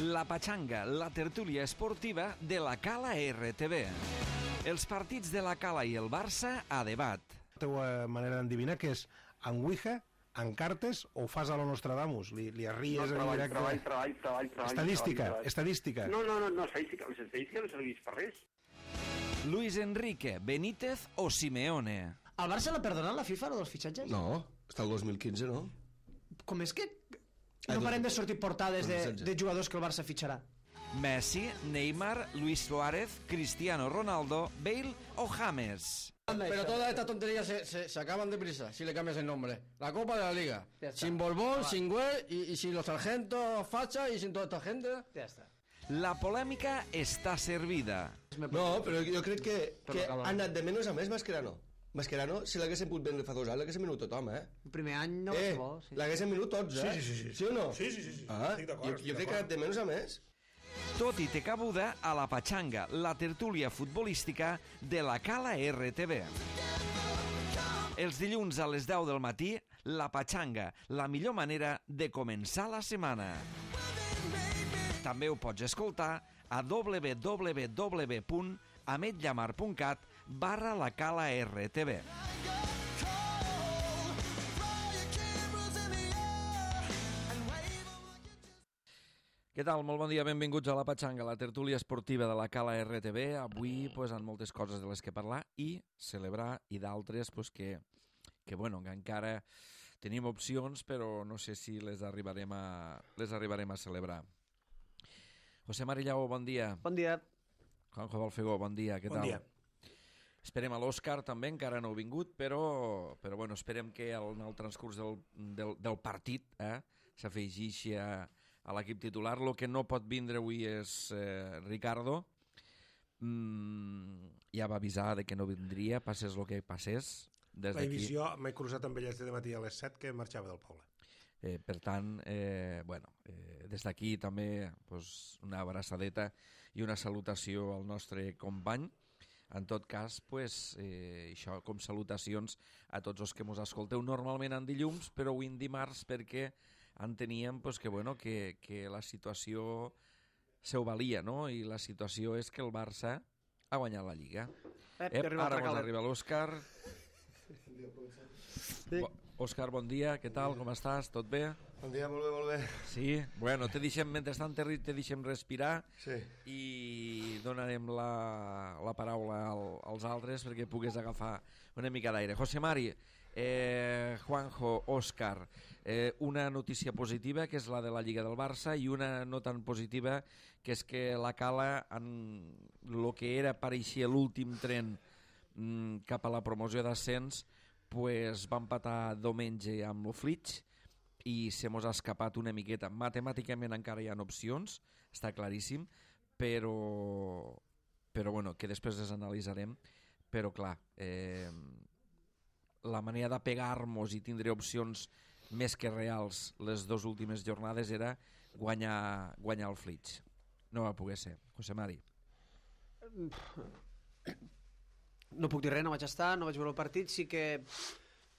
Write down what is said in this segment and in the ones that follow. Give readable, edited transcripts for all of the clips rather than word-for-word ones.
La Pachanga, la tertúlia esportiva de la Cala RTV. Els partits de la Cala i el Barça a debat. La teva manera d'endevinar que és en Ouija, en cartes o ho fas a lo Nostradamus? Li arries en directe? Treball. Estadística. No, estadística. L'estadística no serveix per res. Luis Enrique, Benítez o Simeone. El Barça l'ha perdonat la FIFA, lo dels fitxatges? No, està el 2015, no? Com és que no parem de sortir portades de jugadors que el Barça fitxarà? Messi, Neymar, Luis Suárez, Cristiano Ronaldo, Bale o James. Pero todas estas tonterías se acaban deprisa si le cambias el nombre. La Copa de la Liga. Sin Borbón, sin Güell y sin los sargentos Facha y sin toda esta gente. Ja està. La polèmica està servida. No, però jo crec que ha anat de menys a més Mascherano. Mascherano, si l'haguessin pogut vendre fa 2 anys, l'haguessin venut tothom, El primer any no va ser bo. Sí. L'haguessin venut tots, Sí. Sí o no? Sí. Estic d'acord. Jo crec que ha anat de menys a més. Tot i té cabuda a la Pachanga, la tertúlia futbolística de la Cala RTV. Els dilluns a les 10 del matí, la Pachanga, la millor manera de començar la setmana. També ho pots escoltar a www.ametllamar.cat/la Cala RTV. Què tal? Molt bon dia, benvinguts a la Pachanga, la tertúlia esportiva de la Cala RTV. Avui amb moltes coses de les que parlar i celebrar, i d'altres que encara tenim opcions, però no sé si les arribarem a celebrar. José Marillau, bon dia. Bon dia. Juanjo Balfegó, bon dia, què tal? Bon dia. Esperem a l'Òscar també, encara no ha vingut, però esperem que en el transcurs del partit s'afegeixi a l'equip titular. El que no pot vindre avui és Ricardo. Ja va avisar de que no vindria, passés el que passés. La divisió m'he cruzat amb ell de matí a les 7 que marxava del poble. Per tant, des d'aquí també una abraçadeta i una salutació al nostre company. En tot cas, això com salutacions a tots els que ens escolteu normalment en dilluns, però avui en dimarts perquè enteníem que la situació se ho valia, no? I la situació és que el Barça ha guanyat la Lliga. Ara ens arriba l'Òscar. Òscar, bon dia, què tal, com estàs? Tot bé? Bon dia, molt bé. Sí? Bueno, mentrestant te deixem respirar i donarem la paraula als altres perquè pugues agafar una mica d'aire. José Mari, Juanjo, Òscar, una notícia positiva que és la de la Lliga del Barça i una no tan positiva que és que la Cala, en el que pareixia l'últim tren cap a la promoció d'ascens, va empatar diumenge amb el Flix i se mos ha escapat una miqueta. Matemàticament encara hi ha opcions, està claríssim, però que després les analitzarem. Però clar, la manera de pegar-nos i tindre opcions més que reals les 2 últimes jornades era guanyar el Flix. No va poder ser. José Mari. No puc dir res, no vaig estar, no vaig veure el partit. Sí que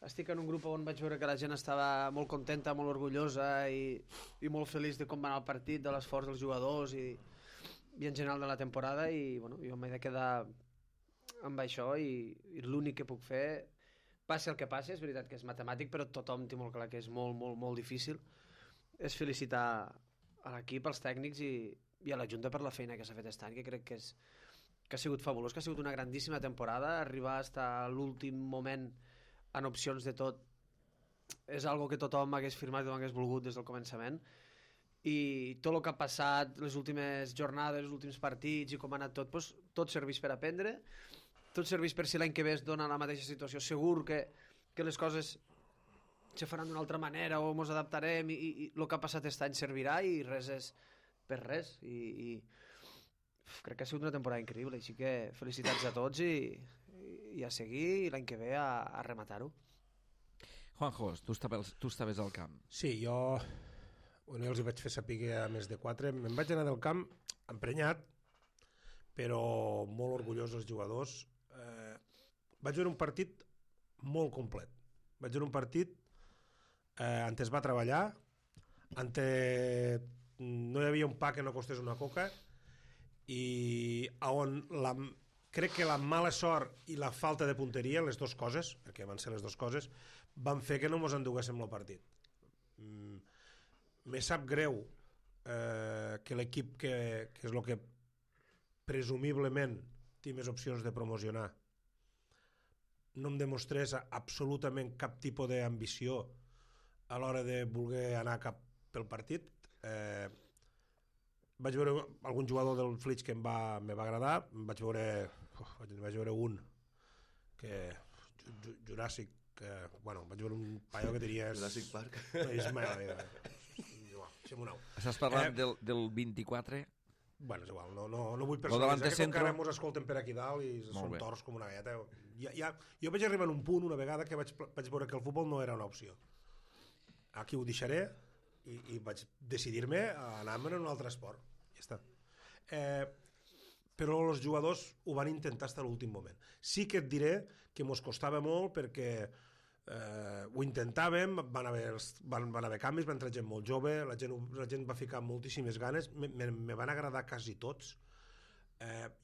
estic en un grup on vaig veure que la gent estava molt contenta, molt orgullosa i molt feliç de com va anar el partit, de l'esforç dels jugadors i en general de la temporada, i jo m'he de quedar amb això i l'únic que puc fer, passi el que passi, és veritat que és matemàtic, però tothom té molt clar que és molt, molt, molt difícil, és felicitar a l'equip, als tècnics i a la Junta per la feina que s'ha fet aquest any, que crec que ha sigut fabulós, que ha sigut una grandíssima temporada. Arribar fins a l'últim moment en opcions de tot és algo que tothom hagués firmat i hagués volgut des del començament, i tot el que ha passat les últimes jornades, els últims partits i com ha anat tot serveix per aprendre, tot serveix per si l'any que ve es dona la mateixa situació. Segur que les coses se faran d'una altra manera o ens adaptarem i el que ha passat aquest any servirà i res és per res crec que ha sigut una temporada increïble, així que felicitats a tots i a seguir, i l'any que ve a rematar-ho. Juanjo, tu estaves al camp. Sí, jo els hi vaig fer saber a més de 4. Me'n vaig anar del camp emprenyat, però molt orgullós dels jugadors. Vaig veure un partit molt complet. Vaig veure un partit on es va treballar, on no hi havia un pa que no costés una coca, i on crec que la mala sort i la falta de punteria, les dues coses, perquè van ser les dues coses, van fer que no mos enduguéssim el partit. Me sap greu que l'equip que és el que presumiblement té més opcions de promocionar no em demostrés absolutament cap tipus d'ambició a l'hora de voler anar cap pel partit. Vaig veure algun jugador del Flix que me va agradar, vaig veure un que Juràssic, vaig veure un paio que tenia Jurassic Park. Estàs parlant del 24? Bueno, és igual, no vull personalitzar, que encara mos escolten per aquí dalt i són torts com una galleta. Jo vaig arribar a un punt una vegada que vaig veure que el futbol no era una opció. Aquí ho deixaré i vaig decidir-me a anar-me'n a un altre esport. Ja està. Però els jugadors ho van intentar fins a l'últim moment. Sí que et diré que mos costava molt perquè ho intentàvem, van haver canvis, va entrar gent molt jove, la gent va ficar moltíssimes ganes, me van agradar quasi tots.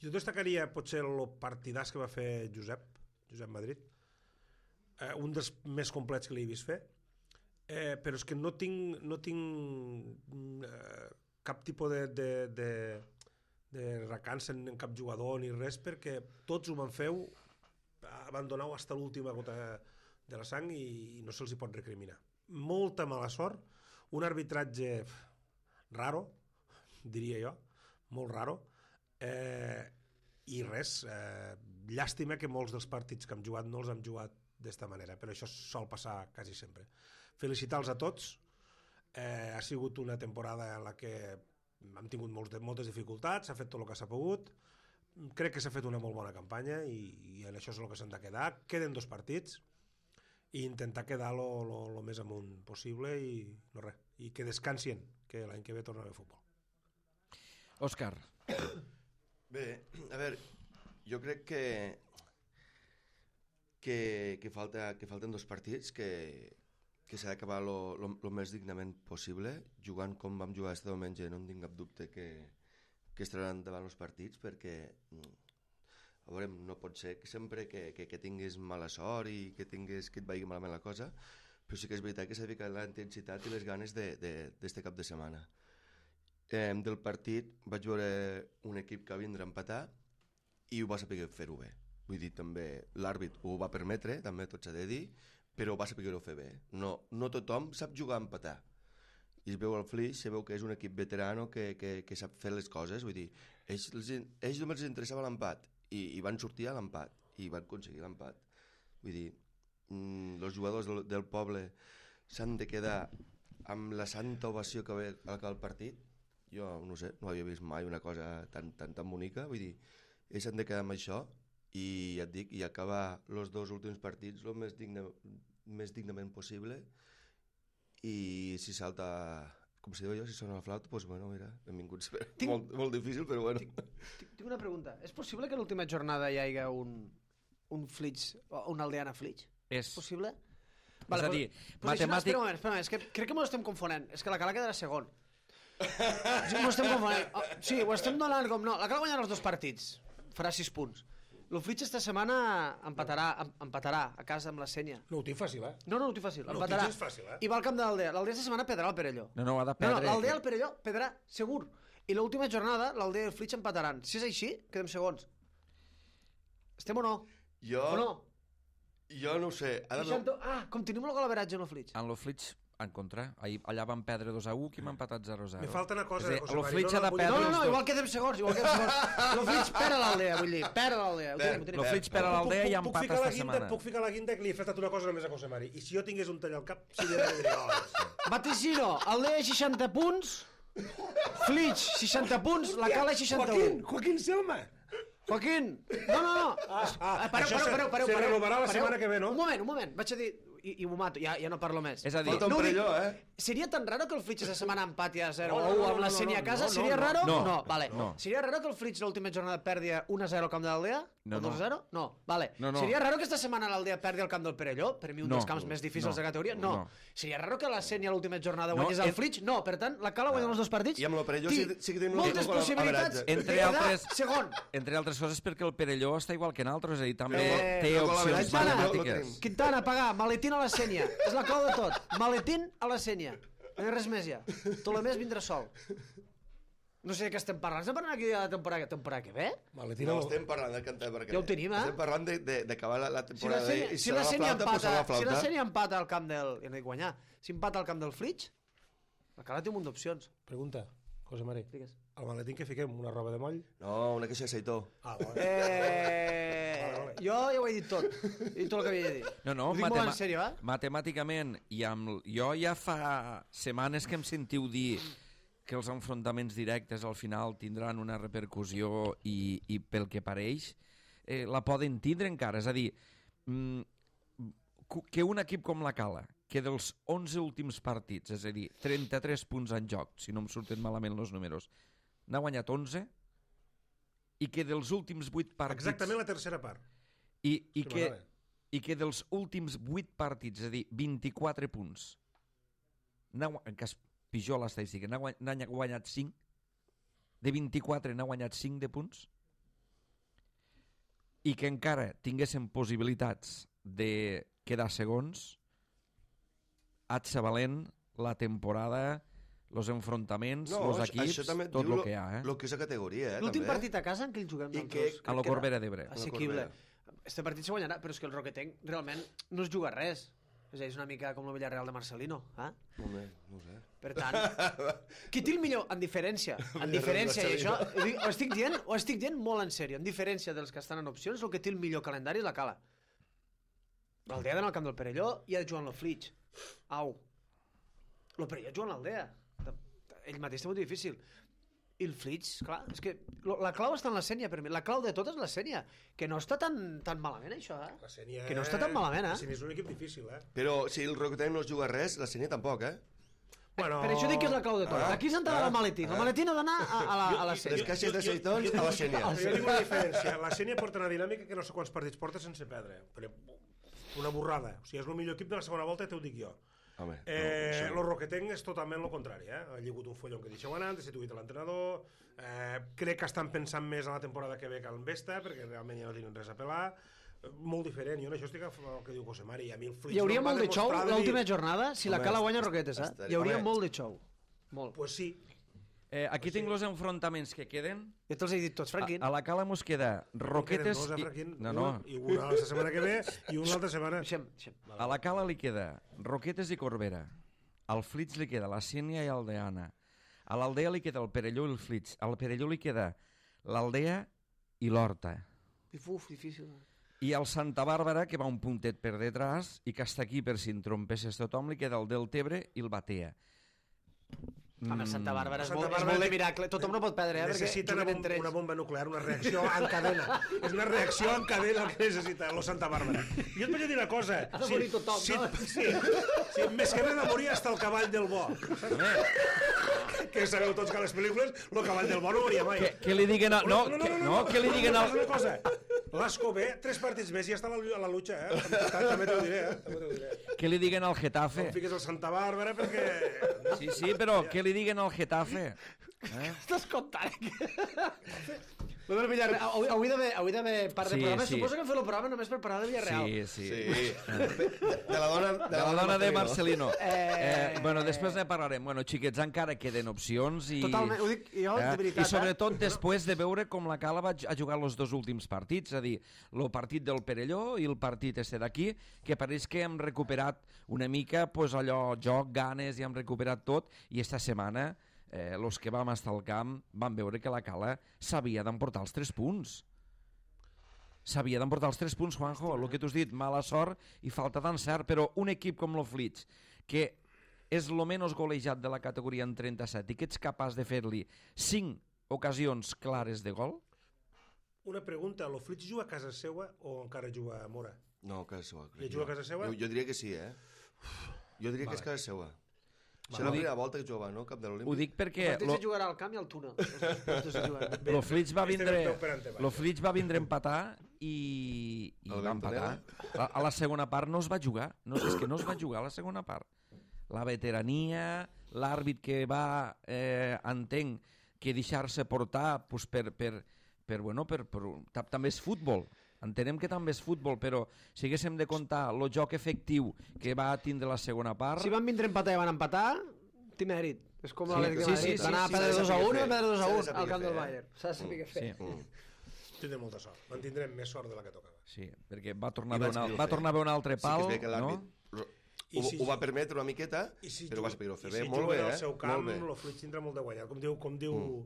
Jo destacaria potser el partidàs que va fer Josep Madrid, un dels més complets que l'he vist fer, però és que no tinc cap tipus de recança en cap jugador ni res, perquè tots ho van fer, van donar fins a l'última gota de la sang i no se'ls hi pot recriminar. Molta mala sort, un arbitratge raro, diria jo, molt raro, i res, llàstima que molts dels partits que hem jugat no els hem jugat d'esta manera, però això sol passar quasi sempre. Felicitar-los a tots, ha sigut una temporada en la que hem tingut moltes dificultats, s'ha fet tot el que s'ha pogut, crec que s'ha fet una molt bona campanya i en això és el que s'han de quedar. Queden 2 partits i intentar quedar lo més amunt possible i no res, i que descansin, que l'any que ve torna a haver futbol. Òscar. Bé, a veure, jo crec que falten 2 partits, que s'ha d'acabar lo més dignament possible, jugant com vam jugar este diumenge. No en tinc cap dubte que estaran davant els partits, perquè a veure, no pot ser que sempre que tinguis mala sort i que et vagi malament la cosa, però sí que és veritat que s'ha de ficar la intensitat i les ganes d'este cap de setmana. Del partit vaig veure un equip que vindrà a empatar i ho va saber fer-ho bé. Vull dir, també l'àrbit ho va permetre, també tot s'ha de dir, però ho va saber fer bé. No tothom sap jugar a empatar. I es veu al Flix, se veu que és un equip veterano que sap fer les coses. Vull dir, ells només els interessava l'empat i van sortir a l'empat i van aconseguir l'empat. Vull dir, els jugadors del poble s'han de quedar amb la santa ovació que ve al acabar el partit. Jo no sé, no havia vist mai una cosa tan bonica. Vull dir, ells s'han de quedar amb això i ja et dic, i acabar els 2 últims partits el més dignament possible. I si salta, com si diu jo, si sona la flauta, doncs bueno, mira, benvinguts. Molt difícil, però bueno. Tinc una pregunta. És possible que a l'última jornada hi hagi un Flix, un Aldeana Flix? És possible? És a dir, matemàtic... Espera un moment, és que crec que m'ho estem confonent. És que la Cala quedarà segon. M'ho estem confonent. Sí, ho estem donant com no. La Cala guanyarà els 2 partits. Farà 6 punts. El Flix esta setmana empatarà a casa amb la Senya. No ho tinc fàcil, eh? No ho tinc fàcil, empatarà. No ho tinc fàcil, eh? I va al camp de l'Aldea. L'Aldea esta setmana perdrà el Perelló. No, ha de perdre. L'Aldea al Perelló perdrà, segur. I l'última jornada, l'Aldea i el Flix empataran. Si és així, quedem segons. Estem o no? O no? Jo no ho sé. Continuem el golaveratge en el Flix. En el Flix, en contra. Allà van perdre 2-1, qui m'ha empatat 0-0. Me falta una cosa, José Mari. No, igual quedem segons. El Flix perd a l'Aldea, vull dir. Perd a l'Aldea. El Flix perd a l'Aldea i empata esta setmana. Puc ficar la guinda que li he fet una cosa només a José Mari. I si jo tingués un tall al cap, sí que diria gols. Vaticino, Aldea 60 punts, Flix 60 punts, la Cala 61. Joaquín Selma. Joaquín! No. Això se renovarà la setmana que ve, no? Un moment. Vaig a dir... I m'ho mato, ja no parlo més. És a dir... Falta un Perelló, Seria tan raro que el Flix aquesta setmana empati a 0-1 amb la Senya a casa? Seria raro? No, vale. Seria raro que el Flix l'última jornada perdi 1-0 al camp de l'Aldea? No, 2-0? No, vale. Seria raro que esta setmana l'Aldea perdi el camp del Perelló? Per mi un dels camps més difícils de categoria? No. Seria raro que la Sènia l'última jornada guanyés el Flix? No, per tant, la Cala guanya els dos partits. I amb el Perelló sí que tenim moltes possibilitats de quedar segon. Entre altres coses perquè el Perelló està igual que nosaltres, és a dir, també té opcions matemàtiques. Quintana, pagar, maletín a la Sènia. És la clau de tot. Maletín a la Sènia. No hi ha res més ja. Tolemés vindrà sol. No sé de què estem parlant. Estem parlant aquí de la temporada que ve? No, estem parlant del temporada que ve. Ja ho tenim, Estem parlant d'acabar la temporada i si la Sènia empata al camp del... Ja no dic guanyar. Si empata al camp del Flix, la Cala té un munt d'opcions. Pregunta, José Mari. Digues. Al maletín que fiquem? Una roba de moll? No, una queixa de seitó. Jo ja ho he dit tot. He dit tot el que havia de dir. No, ho dic molt en sèrio, matemàticament, jo ja fa setmanes que em sentiu dir que els enfrontaments directes al final tindran una repercussió i pel que pareix la poden tindre encara. És a dir, que un equip com la Cala, que dels 11 últims partits, és a dir, 33 punts en joc, si no em surten malament els números, n'ha guanyat 11, i que dels últims 8 partits... Exactament la tercera part. I que dels últims 8 partits, és a dir, 24 punts, en cas pitjor l'estadística, n'ha guanyat 5, de 24 n'ha guanyat 5 de punts, i que encara tinguessin possibilitats de quedar segons, valent la temporada, els enfrontaments, els equips, tot el que hi ha. El que és a categoria, l'últim partit a casa en què el juguem nosaltres? A la Corbera d'Ebre. Assequible. Este partit se guanyarà, però és que el Roquetenc realment no es juga res. És a dir, és una mica com el Villarreal de Marcelino. No ho sé. Per tant, qui té el millor? En diferència. En diferència, i això ho estic dient molt en sèrio. En diferència dels que estan en opcions, el que té el millor calendari és la Cala. L'Aldea d'anar al camp del Perelló i ha de jugar en el Flix. Au. El Perelló juga en l'Aldea. Ell mateix té molt difícil. I el Flix, clar, és que la clau està en la Sènia, per mi. La clau de tot és la Sènia, que no està tan malament, això, La Sènia... Que no està tan malament, La Sènia és un equip difícil, Però si el Roquetenc no es juga res, la Sènia tampoc, Bueno... Per això dic que és la clau de tot. Aquí s'ha d'anar al maletín. El maletín ha d'anar a la Sènia. Les caixes de seitons a la Sènia. Jo dic una diferència. La Sènia porta una dinàmica que no sé quants partits porta sense perdre. Una borrada. O sigui, és el millor equip de la segona volta, t'ho dic jo. El Roquetenc és totalment el contrari, Ha lligut un follon que deixeu anar, destituït l'entrenador, crec que estan pensant més a la temporada que ve que en Vesta, perquè realment ja no tenen res a pelar, molt diferent. Jo en això estic el que diu José Mari. A mi el Flix hi hauria molt de xou l'última jornada si la Cala guanya Roquetes, Hi hauria molt de xou. Molt. Pues sí. Aquí tinc els enfrontaments que queden. Ja te'ls he dit tots, Franquín. A la Cala mos queda Roquetes... No. I una la setmana que ve i una altra setmana... A la Cala li queda Roquetes i Corbera. Al Flix li queda la Sènia i Aldeana. A l'Aldea li queda el Perelló i el Flix. Al Perelló li queda l'Aldea i l'Horta. Difícil. I al Santa Bàrbara, que va un puntet per detrás i que està aquí per si entrompesses tothom, li queda el Deltebre i el Batea. Home, Santa Bàrbara és molt de miracle. Tothom no pot perdre, necessita una bomba nuclear, una reacció en cadena. És una reacció en cadena el que necessita el Santa Bàrbara. Jo et vaig dir una cosa. Ha de morir tothom, no? Sí, més que res de morir hasta el cavall del bo. Que sabeu tots que a les pel·lícules el cavall del bo no moria mai. Que li diguen... No, que li diguen... Una cosa, l'Asco B, 3 partits més i ja està a la lucha, També t'ho diré, Que li diguen al Getafe. No fiques el Santa Bàrbara perquè... Sí, però què li diguen al Getafe? Estàs contant? Avui d'haver part de programa. Suposo que hem fet el programa només per parlar de Villarreal. Sí. De la dona de Marcelino. Després ne parlarem. Xiquets, encara queden opcions. Totalment, ho dic jo, de veritat. I sobretot després de veure com la Cala va jugar els dos últims partits, és a dir, el partit del Perelló i el partit d'aquí, que pareix que hem recuperat una mica allò, joc, ganes, i hem recuperat tot, i esta setmana els que vam estar al camp van veure que la Cala s'havia d'emportar els 3 punts. S'havia d'emportar els 3 punts, Juanjo, el que tu has dit, mala sort i falta d'encert, però un equip com el Flix, que és el menys golejat de la categoria en 37 i que ets capaç de fer-li 5 ocasions clares de gol? Una pregunta, el Flix juga a casa seva o encara juga a Mora? No, a casa seva. I juga a casa seva? Jo diria que sí, Jo diria que és casa seva. És la primera volta que jugava, no? Cap de l'Olímpic. Ho dic perquè... El partit se jugarà al camp i al túnel. Lo Flix va vindre a empatar i va empatar. A la segona part no es va jugar. No, és que no es va jugar a la segona part. La veterania, l'àrbit que va, entenc, que deixar-se portar pues, també és futbol. Entenem que també és futbol, però si haguéssim de comptar el joc efectiu que va tindre la segona part... Si van vindre a empatar i van empatar, té mèrit. És com l'Atlètic de Madrid. Va anar a perdre 2-1 i a perdre 2-1 al camp del Bayern. S'ha de saber què fer. Tindrem molta sort. En tindrem més sort de la que tocava. Sí, perquè va tornar a veure un altre pal, no? Ho va permetre una miqueta, però va saber-ho fer bé. Molt bé, I si juga al seu camp, el Flix tindrà molt de guanyat. Com diu...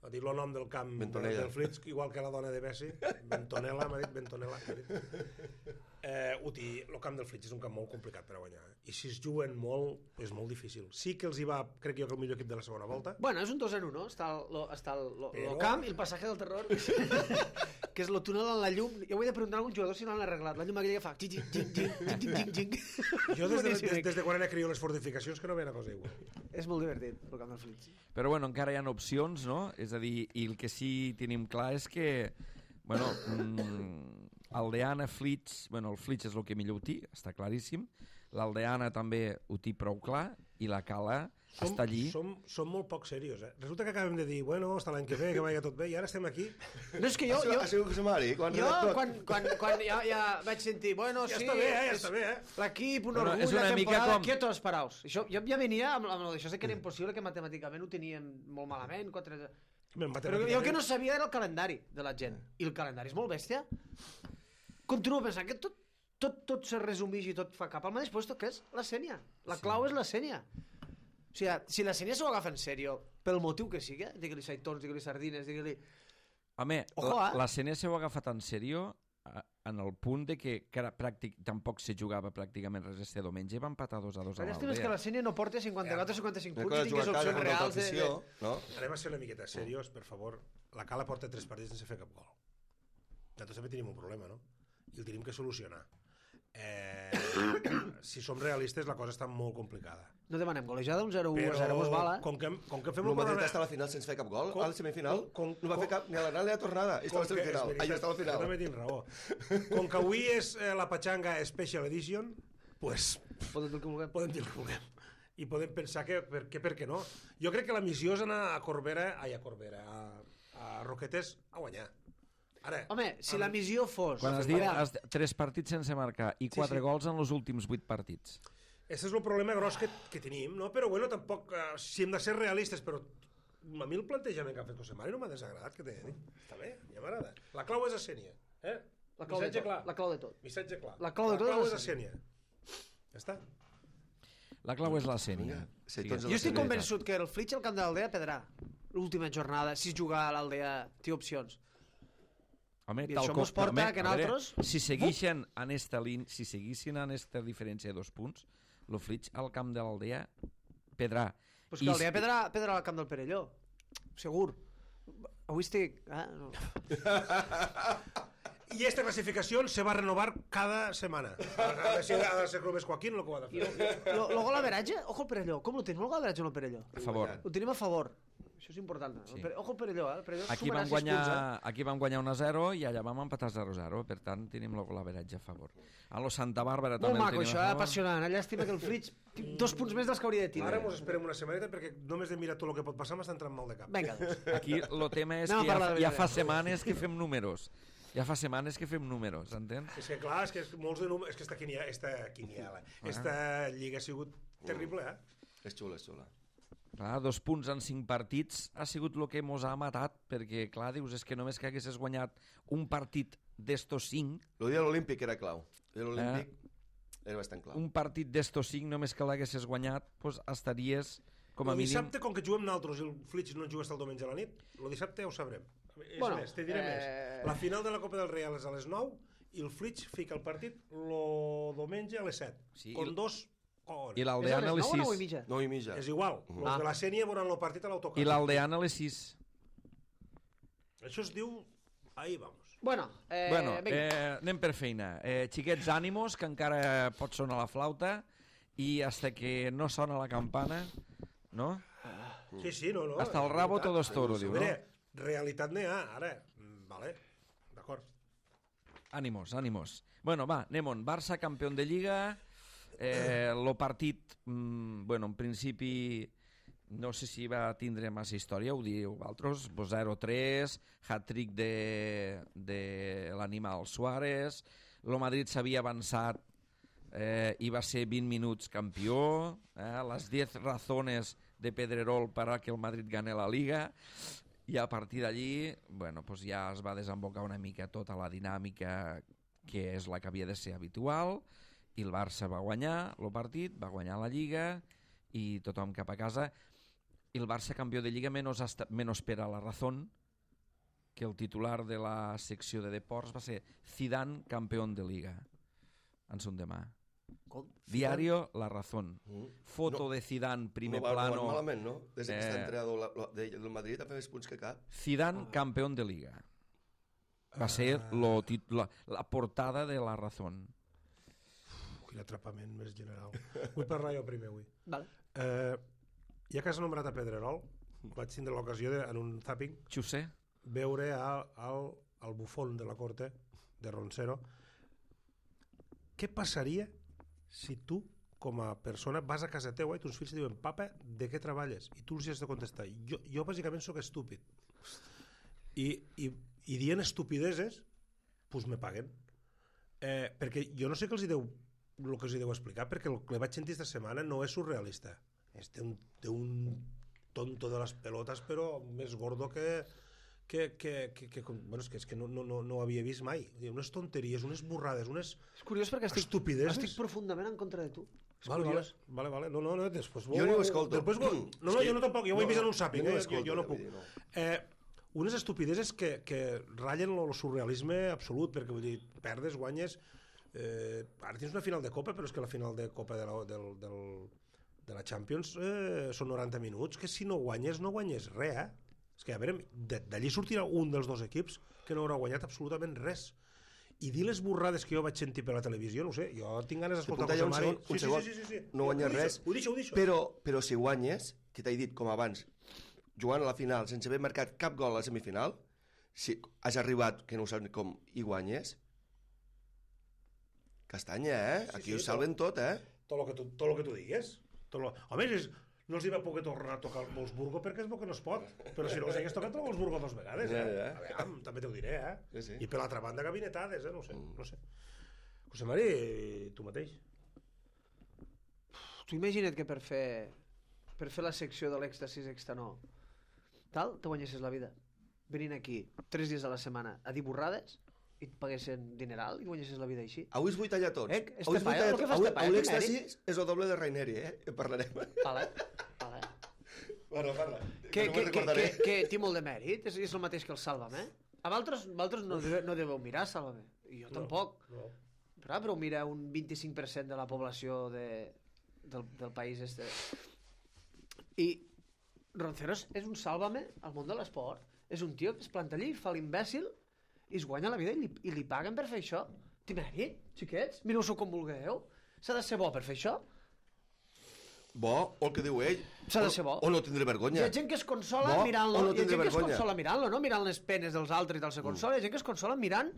Ha dit el nom del camp del Flix, igual que la dona de Messi. Bentonella, m'ha dit Bentonella. El camp del Flix és un camp molt complicat per a guanyar. I si es juguen molt, és molt difícil. Sí que els hi va, crec jo, que el millor equip de la segona volta. Bueno, és un 2-0, no? Està el camp i el passatge del terror, que és el túnel en la llum. Jo ho he de preguntar a algun jugador si no l'han arreglat. La llum aquella que fa... Jo des de quan era crió les fortificacions que no veia una cosa igual. És molt divertit, el camp del Flix. Però bueno, encara hi ha opcions, no? És a dir, i el que sí tenim clar és que, bueno, Aldeana, Flix, bueno, el Flix és el que millor ho té, està claríssim, l'Aldeana també ho té prou clar, i la Cala està allí. Som molt poc serios, eh? Resulta que acabem de dir, bueno, hasta l'any que ve, que vaya tot bé, i ara estem aquí. No, és que jo... Ha sigut José Mari, quan ja vaig sentir, bueno, ja sí... Ja està bé, eh? L'equip, un orgull, la temporada, quietos, paraos. Jo ja venia amb això, sé que era impossible, que matemàticament ho teníem molt malament, però jo el que no sabia era el calendari de la gent. I el calendari és molt bèstia. Continuo pensant que tot se resumeix i tot fa cap al mateix lloc, que és la Sènia. La clau és la Sènia. O sigui, si la Sènia s'ho agafa en sèrio, pel motiu que sigui, digue-li saitons, digue-li sardines, digue-li... Home, la Sènia s'ho ha agafat en sèrio en el punt de que tampoc se jugava pràcticament res este diumenge, va empatar 2-2 a l'Aldea. La llàstima és que la Sènia no porta 54 o 55 punts i tingués opcions reals de... Anem a ser una miqueta serios, per favor. La Cala porta 3 partits sense fer cap gol. Nosaltres també tenim un problema, no? I el tenim que solucionar. Si som realistes, la cosa està molt complicada. No demanem golejada, un 0-1-0 mos vala. Com que fem el Madrid està a la final sense fer cap gol, a la semifinal no va fer cap ni a l'anada ni a la tornada, i està a la semifinal, allà està a la final. També tinc raó. Com que avui és la Pachanga Special Edition, pues podem dir el que vulguem. I podem pensar que per què no. Jo crec que la missió és anar a Roquetes a guanyar. Ara, home, si la missió fos... Quan has dit 3 partits sense marcar i 4 gols en els últims 8 partits. Aquest és el problema gros que tenim, no? Però bueno, tampoc, si hem de ser realistes, però a mi el plantejament que ha fet José Mari no m'ha desagradat, que t'he de dir. Està bé, ja m'agrada. La clau és a Sènia. La clau de tot. Missatge clar. La clau de tot és a Sènia. Ja està. La clau és la Sènia. Jo estic convençut que el Flix al camp de l'Aldea perdrà l'última jornada, si jugar a l'Aldea té opcions. Home, i això mos porta que nosaltres... Si seguissin en esta diferència de 2 punts, el Flix al camp de l'Aldea pedrà. Pues que l'Aldea pedrà al camp del Perelló. Segur. Avui estic... No. I esta clasificació se va renovar cada setmana. Ha de ser Clubes Joaquín el que ho ha de fer. El gol average, ojo el Perelló. Com el tenim el gol average o no el Perelló? A favor. Ho tenim a favor. Això és important. Sí. Ojo el Perelló, el Perelló aquí sumarà 6 punts. Aquí vam guanyar 1-0 i allà vam empatar 0-0. Per tant, tenim l'averatge a favor. A lo Santa Bàrbara també molt maco, això, apassionant. Llàstima que el Flix 2 punts més dels que hauria de tenir. Ara mos esperem una setmaneta perquè només de mirar tot el que pot passar m'està entrant mal de cap. Vinga, doncs. Aquí el tema és que ja fa setmanes que fem números. Entens? És que clar, és que molts de números... És que esta lliga ha sigut terrible, És xula. Clar, 2 punts en 5 partits ha sigut el que mos ha matat, perquè, clar, dius, és que només que haguessis guanyat un partit d'estos 5... El dia de l'Olímpic era clau. El dia de l'Olímpic era bastant clau. Un partit d'estos 5, només que l'haguessis guanyat, doncs estaries, com a mínim... El dissabte, com que juguem nosaltres i el Flix no juga el diumenge a la nit, el dissabte ho sabrem. És més, te diré més. La final de la Copa del Real és a les 9 i el Flix fica el partit el diumenge a les 7. Sí, con 2... I l'Aldeana a les 6. 9:30. És igual. Els de la Sènia veuran el partit a l'autocar. I l'Aldeana a les 6. Això es diu... Ahí vamos. Bueno, anem per feina. Xiquets, ànimos, que encara pot sonar la flauta. y hasta que no sona la campana, ¿no? Sí, no. Hasta el rabo todo es toro, diu, no? Mira, realitat n'hi ha, ara. Vale, d'acord. Ánimos. Bueno, va, anem-on. Barça, campió de Lliga. Lo partit, bueno, en principi, no sé si va tindre massa història, ho diu altres, 0-3, hat-trick de l'animal Suárez, lo Madrid s'havia avançat i va ser 20 minuts campió, les 10 razones de Pedrerol para que el Madrid gane la Liga, i a partir d'allí, bueno, pues ja es va desembocar una mica tota la dinàmica que és la que havia de ser habitual, i el Barça va guanyar el partit, va guanyar la Lliga, i tothom cap a casa. I el Barça campió de Lliga menos per a la razón, que el titular de la secció de deports va ser Zidane campeón de Liga, en son demà. Diario La Razón. Foto de Zidane, primer plano. No va malament, no? Des que està entrenador del Madrid ha fet més punts que cap. Zidane campeón de Liga. Va ser la portada de La Razón. Quin atrapament més general. Vull parlar jo primer avui. Vale. Ja que has nombrat a Pedrerol, vaig tindre l'ocasió en un zapping Xusé? veure al bufón de la corte de Roncero. Què passaria si tu, com a persona, vas a casa teua i tons fills et diuen papa, de què treballes? I tu els has de contestar. Jo bàsicament sóc estúpid. I dient estupideses, doncs me paguen. Perquè jo no sé què els deu el que els deu explicar, perquè el que vaig sentir esta setmana no és surrealista. És un tonto de les pelotes, però més gordo bueno, és que no ho havia vist mai. Unes tonteries, unes borrades, unes És curiós perquè estupideses. estic profundament en contra de tu. És Vale. No, després... Jo no ho escolto. No, jo no tampoc, jo ho he vist en un zapping, jo no puc. No. Unes estupideses que ratllen el surrealisme absolut, perquè vull dir, perdes, guanyes... Ara tens una final de Copa, però és que la final de Copa de la Champions són 90 minuts, que si no guanyes res, És que, a veure, d'allí sortirà un dels dos equips que no haurà guanyat absolutament res. I dir les borrades que jo vaig sentir per la televisió, no sé, jo tinc ganes d'escoltar José Mari. Un segon. Sí. No guanyes res. Ho deixo. Però si guanyes, que t'he dit com abans, jugant a la final sense haver marcat cap gol a la semifinal, si has arribat, que no ho saps com, i guanyes, castanya, Aquí ho salven tot, Tot el que tu digues. Home, no els hi va poder tornar a tocar el Wolfsburgo perquè és bo que no es pot, però si no els hagués tocat el Wolfsburgo 2 vegades, A veure, també t'ho diré, Sí. I per l'altra banda gabinetades, no sé. José Mari, tu mateix. Tu imagina't que per fer la secció de l'èxtasis extanó tal, te guanyessis la vida venint aquí 3 dies a la setmana a dir borrades i et paguessin dineral i guanyessis la vida així. Avui es vull tallar tots. Avui l'èxtasis és el doble de Raineri, En parlarem. Vale. Parla. Que té molt de mèrit, és el mateix que el Sálvame. A vosaltres no deveu mirar Sálvame. I jo tampoc. No. Però mira un 25% de la població del país este. I Ronceros és un Sálvame al món de l'esport. És un tio que es planta allí, fa l'imbècil i es guanya la vida i li paguen per fer això. Té mèrit, xiquets? Mireu-s'ho com vulgueu. S'ha de ser bo per fer això? Bo, o el que diu ell. S'ha de ser bo. O no tindre vergonya. Hi ha gent que es consola mirant-lo. No no mirant les penes dels altres i tal se consola. Hi ha gent que es consola mirant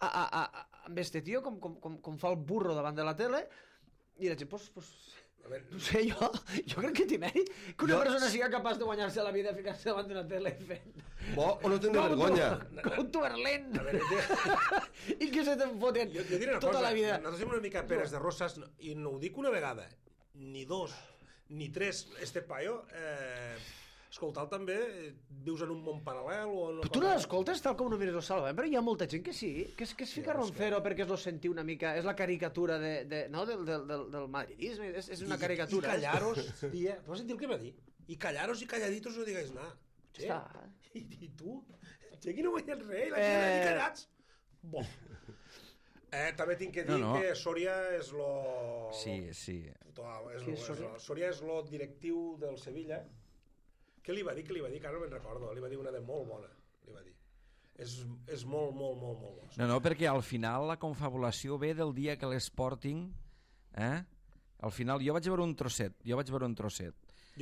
amb este tio com fa el burro davant de la tele i la gent, no sé, jo crec que té mèrit que una persona sigui capaç de guanyar-se la vida ficar-se davant d'una tele fent... Bo o no tindre vergonya. Com tu Berlín. I que se te'n foten tota la vida. Nosaltres som una mica peres de rosses i no ho dic una vegada, ni dos, ni tres. Este paio, escolta'l també, vius en un món paral·lel o... Però tu no l'escoltes tal com no mires el Salva, però hi ha molta gent que sí, que es fica Roncero perquè es lo sentiu una mica, és la caricatura del madridisme, és una caricatura. I callaros, tia, vas sentir el que va dir? I callaros i calladitos no digues nada. Està. I tu? Aquí no guanyes res, la gent allà callats. Bo. També tinc que dir que Soria és lo... Sí. Soria és lo directiu del Sevilla. Què li va dir? Que ara no me'n recordo. Li va dir una de molt bona. Li va dir. És molt bona. No, perquè al final la confabulació ve del dia que l'Sporting Al final, jo vaig veure un trosset. Jo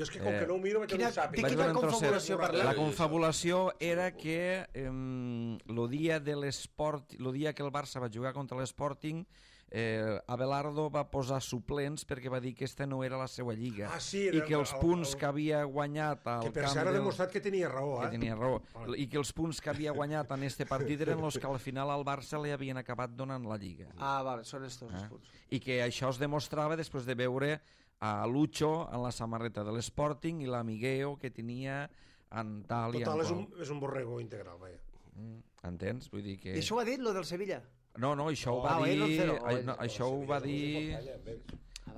és que com que no ho miro vaig veure un sàpic. Quina confabulació parleu? La confabulació era que el dia que el Barça va jugar contra l'Sporting, Abelardo va posar suplents perquè va dir que aquesta no era la seva lliga i que els punts que havia guanyat al que per camp cert ha demostrat que tenia raó, que tenia raó, i que els punts que havia guanyat en este partit eren els que al final al Barça li havien acabat donant la lliga. Vale, són estos els punts. I que això es demostrava després de veure a Lucho en la samarreta de l'Sporting i l'amigueo que tenia en tal i en qual. qual. És un borrego integral, vaja. Entens? Vull dir que... I això ho ha dit, lo del Sevilla? No, això ho va dir...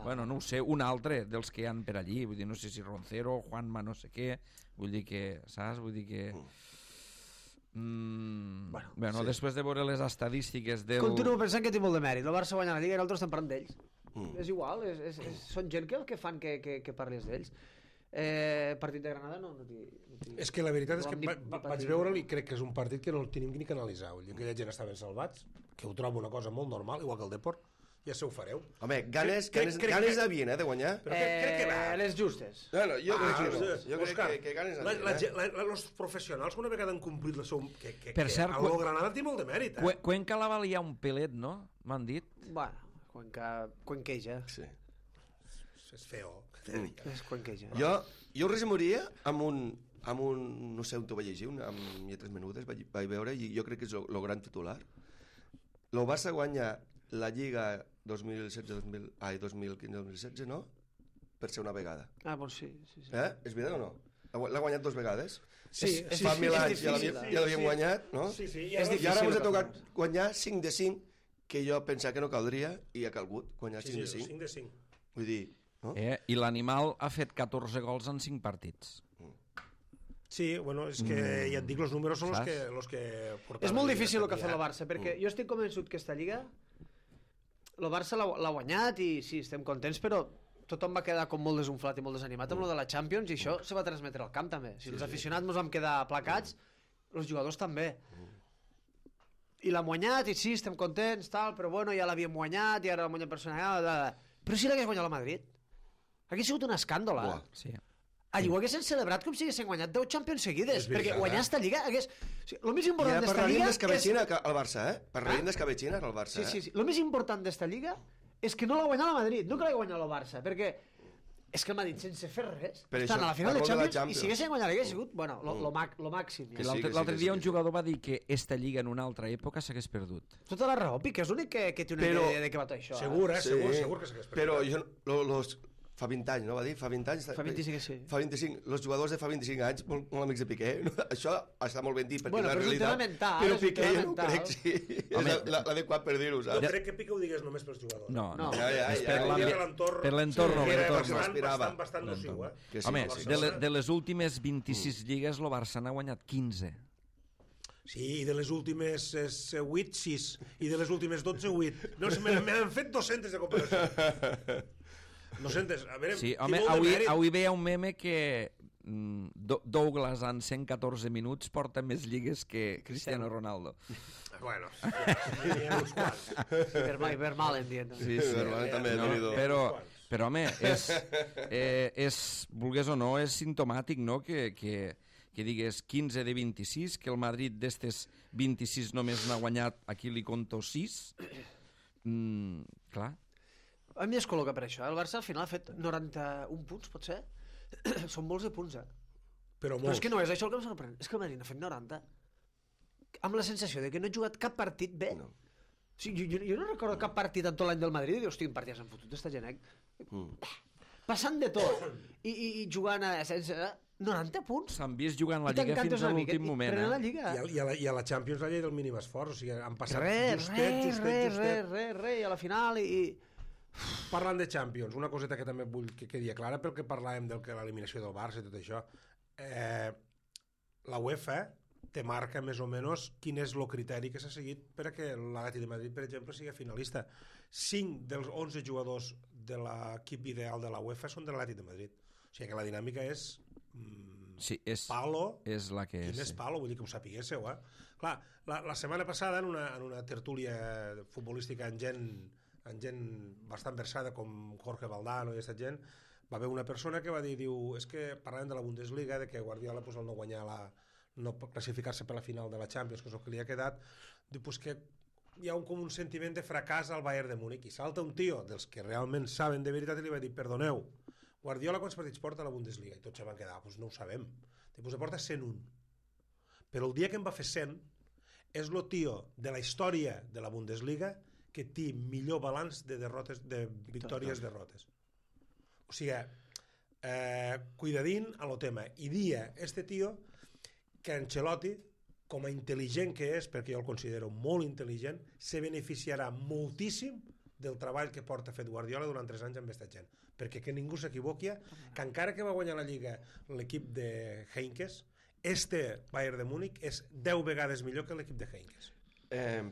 Bueno, no ho sé, un altre dels que hi han per allí, vull dir, no sé si Roncero, Juanma, no sé què, vull dir que, saps? Vull dir que... Bueno, després de veure les estadístiques del... Continuo pensant que té molt de mèrit. El Barça guanya la Lliga i nosaltres estem parlant d'ells. És igual, són gent que fan que parlis d'ells. Partit de Granada no és que la veritat és que vaig veure'l i crec que és un partit que no el tenim ni que analitzar. Aquella gent estaven salvats, que ho trobo una cosa molt normal, igual que el Depor, ja se ho fareu. Home, ganes d'havien, de guanyar. Però crec que va. Les justes. Jo crec que ganes d'havien. Els professionals una vegada han complit la seu... Per cert, el Granada té molt de mèrit. Cuenca la valia un pelet, no? M'han dit. Bueno, Cuenqueja. Sí. És feo. És Cuenqueja. Jo ho resumiria amb un, no sé on t'ho vaig llegir, amb 3 minuts vaig veure, i jo crec que és el gran titular. El Barça guanya la Lliga 2015-2016, no? Per ser una vegada. Doncs sí. És veritat o no? L'ha guanyat 2 vegades? Sí, fa 1000 anys ja l'havíem guanyat, no? Sí, i ara ens ha tocat guanyar 5 de 5, que jo pensava que no caldria, i ha calgut guanyar 5 de 5. 5 de 5. Vull dir... I l'animal ha fet 14 gols en 5 partits. Sí, bueno, és que ja et dic, els números són els que portaven. És molt difícil el que ha fet el Barça, perquè jo estic convençut que aquesta Lliga el Barça l'ha guanyat i sí, estem contents, però tothom va quedar com molt desunflat i molt desanimat amb lo de la Champions, i això se va transmetre al camp també. Si els aficionats ens vam quedar aplacats, els jugadors també. I l'han guanyat, i sí, estem contents, tal, però bueno, ja l'havíem guanyat, i ara l'hem guanyat personal, però si l'hagués guanyat el Madrid, hauria sigut un escàndol, Sí. Allí ho haguessin celebrat com si haguessin guanyat 10 Champions seguides, perquè guanyar esta Lliga hagués... El més important d'esta Lliga... d'escabetxina al Barça, Parlarem d'escabetxina al Barça, Sí. El més important d'esta Lliga és que no l'ha guanyat el Madrid, no que l'ha guanyat el Barça, perquè és que el Madrid, sense fer res, estan a la final de Champions, i si haguessin guanyat l'hagués sigut, bueno, lo màxim. L'altre dia un jugador va dir que esta Lliga en una altra època s'hagués perdut. Tota la raó, Piqué és l'únic que té una idea de què va tot això. Segur que s'hagués perdut. Però jo... Fa 20 anys, no va dir? Fa 20 anys? Fa 25, sí. Fa 25. Els jugadors de fa 25 anys, molt amics de Piqué, això està molt ben dit, perquè bueno, la realitat... Però Piqué jo no crec, sí. És l'adequat per dir-ho, saps? No crec que Piqué ho digués només pels jugadors. No. És per l'entorn. Era bastant nociu, Home, de les últimes 26 lligues, el Barça n'ha guanyat 15. Sí, i de les últimes 8, 6. I de les últimes 12, 8. No, m'han fet 200 de comparació. 200, a veure... Sí, home, avui veia un meme que Douglas en 114 minuts porta més lligues que Cristiano Ronaldo. Bueno, n'hi ha uns quants. Vermal, entiendo. Sí, també. Però home, vulgués o no, és simptomàtic, no?, que digués 15 de 26, que el Madrid d'estes 26 només n'ha guanyat, aquí li conto 6. Clar. A mi es col·loca per això. El Barça al final ha fet 91 punts, pot ser? Són molts de punts, Però és que no és això el que em sorprèn. És que el Madrid n'ha fet 90. Amb la sensació de que no ha jugat cap partit bé. No. O sigui, jo no recordo cap partit en tot l'any del Madrid i dius, hosti, quin partit s'han fotut d'esta gent, passant de tot i jugant sense... 90 punts. S'han vist jugant la Lliga fins a l'últim moment. I a la Champions la llei del mínim esforç. O sigui, han passat justet. I a la final Parlant de Champions, una coseta que també vull que quedi clara pel que parlàvem de l'eliminació del Barça i tot això. La UEFA te marca més o menys quin és el criteri que s'ha seguit per a que l'Atlètic de Madrid, per exemple, sigui finalista. 5 dels 11 jugadors de l'equip ideal de la UEFA són de l'Atlètic de Madrid. O sigui que la dinàmica és... palo, és la que és palo, vull dir que ho sapiguéssiu, Clar, la setmana passada en una tertúlia futbolística amb gent amb gent bastant versada com Jorge Valdano i aquesta gent, va haver una persona que va dir, és que parlàvem de la Bundesliga, de que Guardiola pues, al no guanyar no classificar-se per la final de la Champions, que és el que li ha quedat, diu pues, que hi ha com un sentiment de fracàs al Bayern de Múnich, i salta un tio dels que realment saben de veritat i li va dir, perdoneu, Guardiola quants partits porta a la Bundesliga? I tots se van quedar, pues no ho sabem. Pues porta 101. Però el dia que en va fer 100 és el tio de la història de la Bundesliga que té millor balanç de victòries-derrotes. O sigui, cuidadín a lo tema. I dia este tio que Ancelotti, com a intel·ligent que és, perquè jo el considero molt intel·ligent, se beneficiarà moltíssim del treball que porta fet Guardiola durant 3 anys amb aquesta gent, perquè que ningú s'equivoqui que encara que va guanyar la Lliga l'equip de Heinkes, este Bayern de Múnich és 10 vegades millor que l'equip de Heinkes.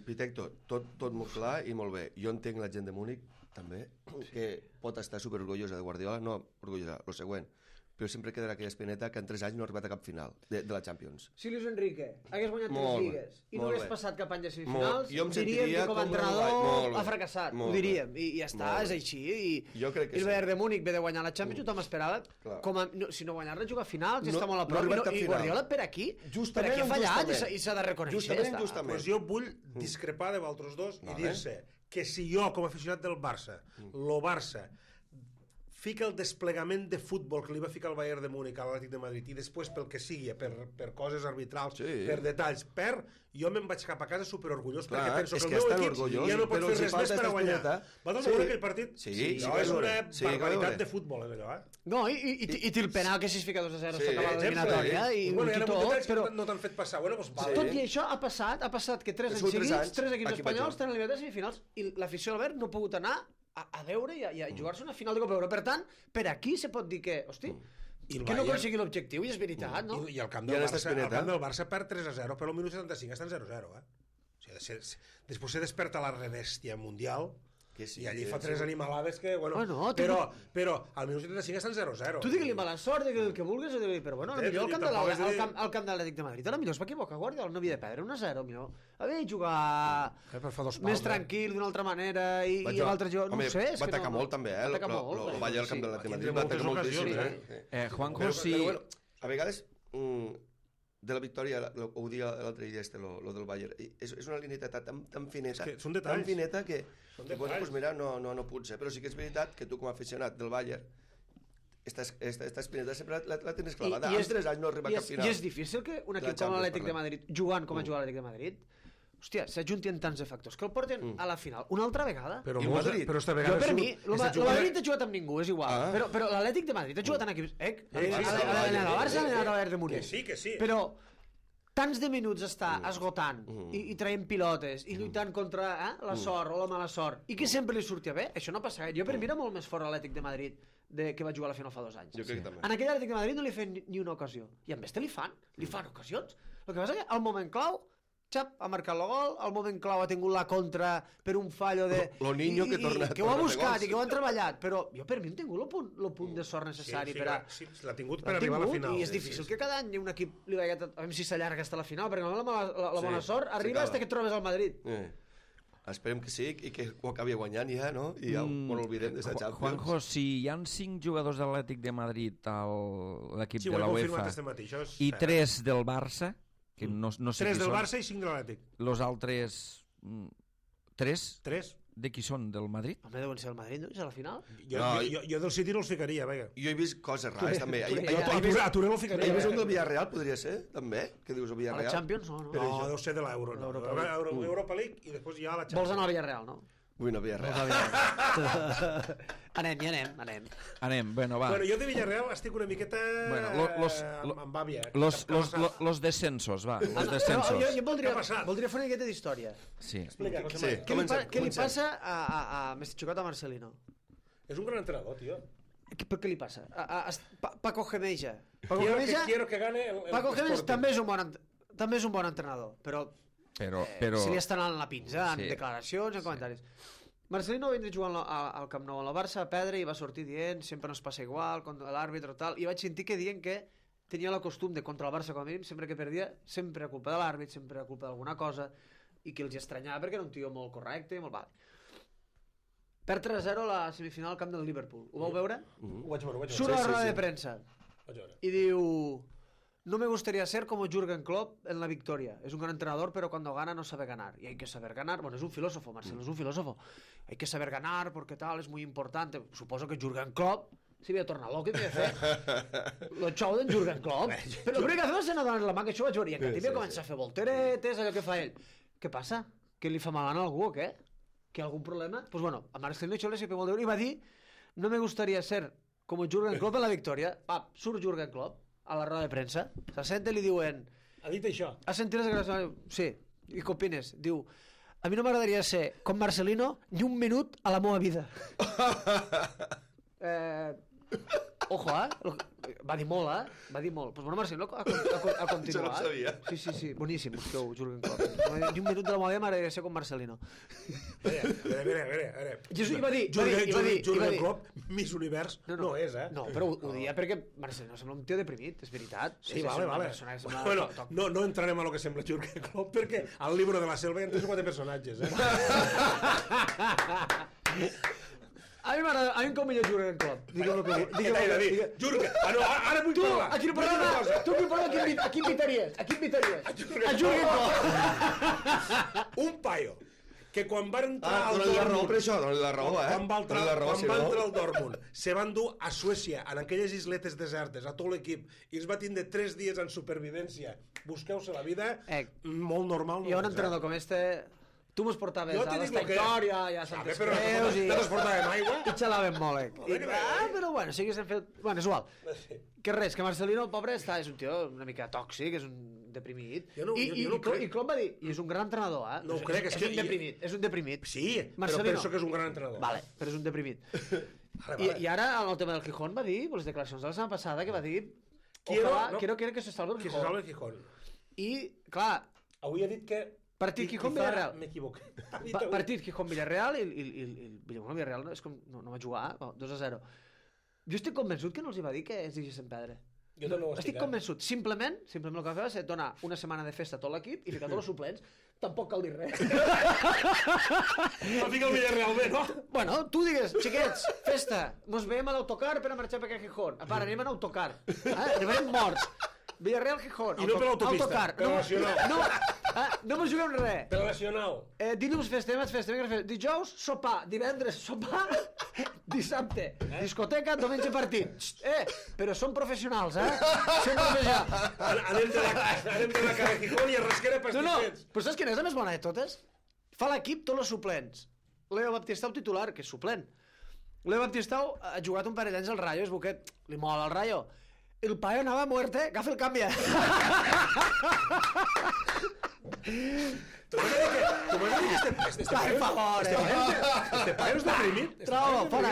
Pitecto, tot molt clar i molt bé. Jo entenc la gent de Múnich també, que pot estar superorgullosa de Guardiola, no orgullosa, el següent, però sempre quedarà aquella espineta que en 3 anys no ha arribat a cap final de la Champions. Si Luis Enrique hagués guanyat 3 lligues i no hagués passat cap any de semifinals, diríem que com a entrenador ha fracassat, ho diríem, i ja està, és així. I el Bayern de Múnich ve de guanyar la Champions, tothom esperava, si no guanyar-la, jugar a finals, ja està molt a prop, i Guardiola per aquí ha fallat i s'ha de reconèixer. Pues jo vull discrepar de vosaltres dos i dir-se que si jo, com a aficionat del Barça, el Barça fica el desplegament de futbol que li va ficar el Bayern de Múnich a l'Atlètic de Madrid i després pel que sigui, per coses arbitrals, per detalls, jo me'n vaig cap a casa superorgullós perquè penso que el meu equip ja no pot fer res més per a guanyar. Va donar aquell partit? Sí, és una barbaritat de futbol, allò, No, i té el penal que si es fica 2-0 s'acaba l'eliminatòria i tot, però no t'han fet passar. Tot i això ha passat que 3 anys seguits, 3 equips espanyols tenen eliminat de semifinals i l'afició del Bayern no ha pogut anar a veure i a jugar-se una final de Copa Europa. Per tant, per aquí se pot dir que, hosti, que no aconseguir l'objectiu, i és veritat, no? I el camp del Barça perd 3-0, però al minut 75 estan 0-0, Després se desperta la rebèstia mundial i allí fa 3 animalades que, però al minut 75 estan 0-0. Tu digue-li mala sort, digue-li el que vulguis, però bueno, millor al camp de l'Atlètic de Madrid, ara millor es va equivocar Guardiola, no havia de perdre 1-0, millor havia de jugar més tranquil, d'una altra manera, i l'altre jo, no ho sé. Va atacar molt també, el Bayern al camp de l'Atlètic de Madrid, va atacar moltíssim. Juanjo, sí. A vegades de la victòria, ho dia l'altre dia, lo del Bayern, és una lineta tan fineta, tan fineta que, doncs mira, no pot ser, però sí que és veritat que tu com a aficionat del Bayern esta espineta sempre la tens clavada. En 3 anys no arriba a cap final. I és difícil que un equip com l'Atlètic de Madrid, jugant com a jugar l'Atlètic de Madrid, hòstia, s'ajuntin tants de factors que el porten a la final una altra vegada. Però esta vegada... Per mi, el Madrid ha jugat amb ningú, és igual. Però l'Atlètic de Madrid ha jugat en equips... A la Barça, a la Bayern de Múnich. Que sí. Però tants de minuts està esgotant i traient pilotes i lluitant contra la sort o la mala sort i que sempre li sortia bé, això no passa gaire. Jo per mi era molt més fort l'Atlètic de Madrid que va jugar a la final fa 2 anys. Jo crec que també. En aquell Atlètic de Madrid no li feien ni una ocasió i en este li fan ocasions. El que passa que al moment clau ha marcat el gol, al moment clau ha tingut la contra per un fallo de... Lo niño que torna que ho ha buscat i que ho han treballat, però jo per mi hem tingut el punt de sort necessari per a... Sí, l'ha tingut per arribar a la final. I és difícil que cada any un equip li vagi a veure si s'allarga fins a la final, perquè la bona sort arriba fins que et trobes al Madrid. Esperem que sí i que ho acabi guanyant ja, no? I ja ho oblidem de la Champions. Juanjo, si hi ha 5 jugadors de l'Atlètic de Madrid a l'equip de la UEFA i 3 del Barça, que no sé 3 del Barça i 5 de l'Atlètic. Los altres 3 de qui són? Del Madrid? Home, deuen ser el Madrid, no? És a la final? Jo del City no els ficaria, vinga. Jo he vist coses rares, també. A Touré no el ficaria. He vist un del Villarreal, podria ser, també? Què dius, el Villarreal? A la Champions, no? No, deu ser de l'Euro. L'Europa League i després hi ha la Champions. Vols anar al Villarreal, no? Vull anar a Villarreal. Anem, bueno, va. Bueno, jo de Villarreal estic una miqueta amb àvia. Los descensos, va. Los descensos. Jo voldria fer una miqueta d'història. Sí. Explica, què li passa a Mestichocot a Marcelino? És un gran entrenador, tio. Què li passa? Paco Gemeja. Quiero que gane Paco Gemeja també és un bon entrenador, però se li està anant la pinza en declaracions, en comentaris. Marcelino va vindre jugant al Camp Nou a la Barça a perdre i va sortir dient sempre no es passa igual, contra l'àrbitre o tal, i vaig sentir que dient que tenia la costum de contra el Barça com a mínim, sempre que perdia, sempre a culpa de l'àrbit, sempre a culpa d'alguna cosa, i que els estranyava perquè era un tio molt correcte, molt... Perd 3-0 la semifinal al camp del Liverpool. Ho vau veure? Ho vaig veure. Surt a la roda de premsa y diu: no me gustaría ser como Jürgen Klopp en la victoria. Es un gran entrenador, pero cuando gana no sabe ganar. Y hay que saber ganar. Bueno, es un filósofo, Marcelo, es un filósofo. Hay que saber ganar porque tal, es muy importante. Suposo que Jürgen Klopp s'hi havia tornat loc i havia fet lo xou d'en Jürgen Klopp. Però l'únic que fa és anar donant la mà, que això ho vaig veure. I en Catibia comença a fer volteretes, allò que fa ell. Què passa? Que li fa mal a algú o què? Que hi ha algun problema? Pues bueno, a Marcelino això li sempre molt de veure i va dir: no me gustaría ser como Jürgen Klopp en la victòria. Va, surt Jürgen Klopp a la roda de premsa, se sent i li diuen: ha dit això? has sentit les gràcies? Sí. I què opines? Diu: a mi no m'agradaria ser com Marcelino ni un minut a la meva vida. Ojo, va dir molt, va dir molt. Pues bueno, Marcelino ha continuat. Jo no ho sabia. Sí, boníssim, busqueu Jürgen Klopp. Ni un minut de la meva vida m'agradaria ser com Marcelino. A veure. I va dir... Jürgen Klopp, Miss Univers, no és, eh? No, però ho dia perquè Marcelino sembla un tio deprimit, és veritat. Sí, vale. Bueno, no entrarem a lo que sembla Jürgen Klopp, perquè al Libro de la Selva hi ha 3 o 4 personatges, eh? A mi em cau millor Jürgen Klopp. Digue'm el que David, Jürgen, ara vull parlar. Aquí no parla, tu aquí parla, a qui invitaries? A Jürgen Klopp. Un paio que quan va entrar al Dortmund... la raó per això, la raó, Quan va entrar al Dortmund, se van dur a Suècia, en aquelles isletes desertes, a tot l'equip, i es va tindre 3 dies en supervivència. Busqueu-se la vida, molt normal. I un entrenador com este... Tu mos portaves a l'Esta Victòria i a Santes Creus i... No ens portàvem aigua? I xalàvem molt, però bueno, sí que s'han fet... Bueno, és igual. Que res, que Marcelino, el pobre, és un tio una mica tòxic, és un deprimit. I Klopp va dir, i és un gran entrenador, eh? No ho crec, és un deprimit. Sí, però penso que és un gran entrenador. Vale, però és un deprimit. I ara, en el tema del Gijón, va dir, les declaracions de la setmana passada, que va dir... Quiero que se salve el Gijón. Que se salve el Gijón. I, clar... Avui ha dit que... Partit Gijón-Villarreal. M'equivoqué. Partit Gijón-Villarreal i Villarreal no va jugar 2-0. Jo estic convençut que no els hi va dir que es deixessin perdre. Jo també ho estic convençut. Simplement el que va fer va ser donar una setmana de festa a tot l'equip i ficar tots els suplents. Tampoc cal dir res. No fica el Villarreal bé, no? Bueno, tu digues, xiquets, festa, mos veiem a l'autocar per a marxar per aquest Gijón. A part, anem en autocar. Arribarem morts. Villarreal Gijón. I no per l'autopista, per la Nacional. No mos juguem res. Per la Nacional. Dilluns festem, dijous sopar, divendres sopar, dissabte discoteca, diumenge partit. Però som professionals, Som professionals. Anem de la cara Gijón i a Rasquera pastissets. Però saps quina és la més bona de totes? Fa l'equip tots els suplents. Leo Baptistau titular, que és suplent. Leo Baptistau ha jugat un parell d'anys al Rayo, és boquet, li mola el Rayo. El paio anava a muerte, agafa el canvi. Tu m'has dit que este paio és deprimit? Trobo, fora.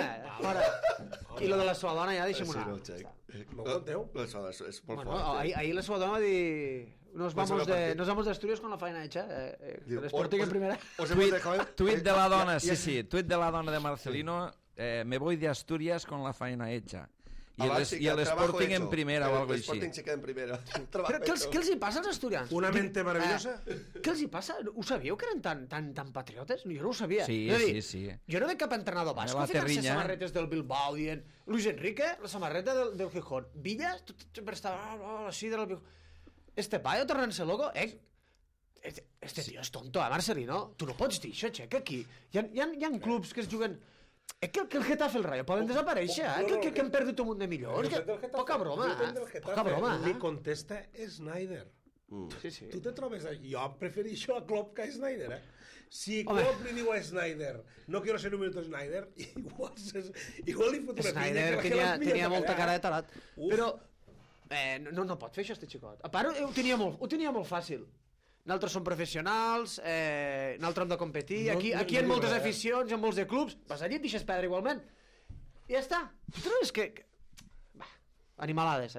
I lo de la seva dona ja deixem una. M'ho conteu? És molt fort. Ahir la seva dona va dir... Nos vamos de Asturias con la faena hecha. El Sporting en primera. Tuit de la dona, sí. Tuit de la dona de Marcelino. Me voy de Asturias con la faena hecha. I el Sporting en primera o algo així. El Sporting se queda en primera. Però què els hi passa als asturians? Una mente maravillosa. Què els hi passa? Ho sabíeu que eren tan patriotes? Jo no ho sabia. Sí. Jo no veig cap entrenador basco ficant-se samarretes del Bilbao dient Luis Enrique, la samarreta del Gijón. Villa, sempre estava així del Gijón. Este paio tornant-se loco, este tio és tonto, Marcelino? Tu no pots dir això, xeca, aquí. Hi ha clubs que es juguen... que el Getafe el Rayo poden desaparèixer, que han perdut un munt de milions. Poca broma, poca broma. Li contesta Snyder. Sí. Tu te trobes... Jo prefereixo a Klopp que a Snyder, Si Klopp li diu a Snyder no quiero ser un minuto Snyder, igual li fot una Snyder tenia molta cara de tarat. Però no pot fer això, este xicot. A part, ho tenia molt fàcil. Nosaltres som professionals, nosaltres hem de competir, aquí hi ha moltes aficions, hi ha molts de clubs, vas allí et deixes perdre igualment. I ja està. Tu trobes que... Animalades.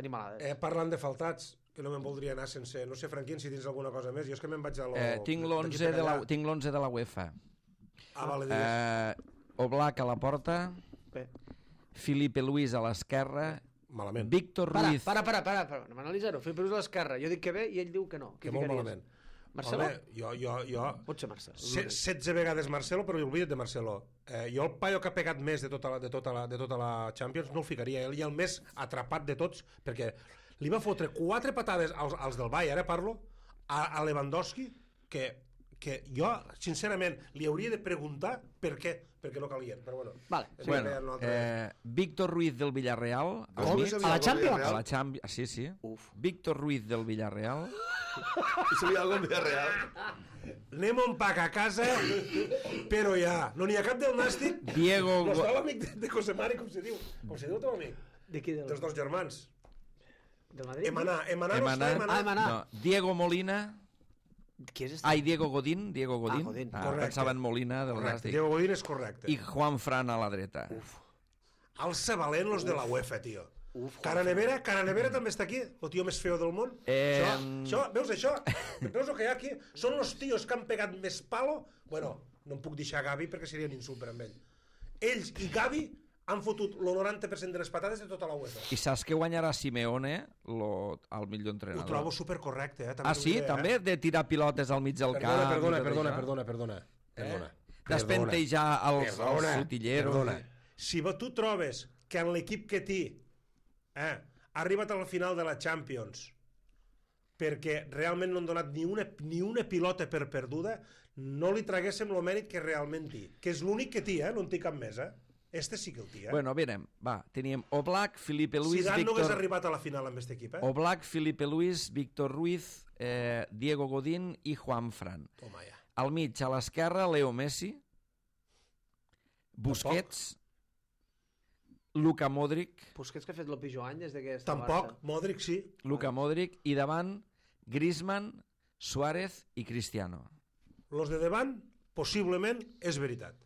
Parlant de faltats, que no me'n voldria anar sense... No sé, Franquín, si tens alguna cosa més. Jo és que me'n vaig a lo... Tinc l'11 de la UEFA. Vale, digues. Oblak a la porta, Felipe Luis a l'esquerra, malament. Víctor Ruiz... Para, anem a analitzar-ho. Felipe Luis a l'esquerra, jo dic que bé i ell diu que no. Que molt malament. Marcelo? Jo... Pot ser Marcelo. 16 vegades Marcelo, però oblida't de Marcelo. Jo el paio que ha pegat més de tota la Champions no el ficaria. Ell i el més atrapat de tots, perquè li va fotre 4 patades als del Bayern, parlo, a Lewandowski, que jo, sincerament, li hauria de preguntar per què, perquè no calien, però bueno. Vale. Víctor Ruiz del Villarreal. A la Champions? A la Champions, sí. Víctor Ruiz del Villarreal. I sabia algun Villarreal? Anem un pack a casa, però ja, no n'hi ha cap del Nàstic. Diego... No està l'amic de José Mari, com se diu? Com se diu el teu amic? De qui? Dels dos germans. Del Madrid? Emaná no està, Emaná. No, Diego Molina. Qui és Diego Godín. Correcte. Pensava en Molina del Nàstic. Nàstic. Diego Godín és correcte. I Juan Fran a la dreta. Alça valent los de la UEFA, tio. Cara Nevera també està aquí, el tio més feo del món. Veus això? Veus el que hi ha aquí? Són els tios que han pegat més palo. Bueno, no em puc deixar Gavi perquè seria un insult per amb ell. Ells i Gavi han fotut el 90% de les patades de tota la UEFA. I saps que guanyarà Simeone el millor entrenador? Ho trobo supercorrecte. Sí? També? De tirar pilotes al mig del camp? Perdona. Despentejar els sotilleros. Si tu trobes que en l'equip que té ha arribat a la final de la Champions perquè realment no han donat ni una pilota per perduda, no li traguéssim el mèrit que realment té, que és l'únic que té, no en té cap més, Este sí que el té, Bueno, mirem, va, teníem Oblak, Felipe Luis, Zidane no hagués arribat a la final amb aquest equip, Oblak, Felipe Luis, Víctor Ruiz, Diego Godín i Juan Fran. Toma ja. Al mig, a l'esquerra, Leo Messi, Busquets, Luka Modric. Busquets que ha fet el pitjor any des que està Tampoc, Modric sí. Luka Modric, i davant Griezmann, Suárez i Cristiano. Los de davant, possiblement, és veritat.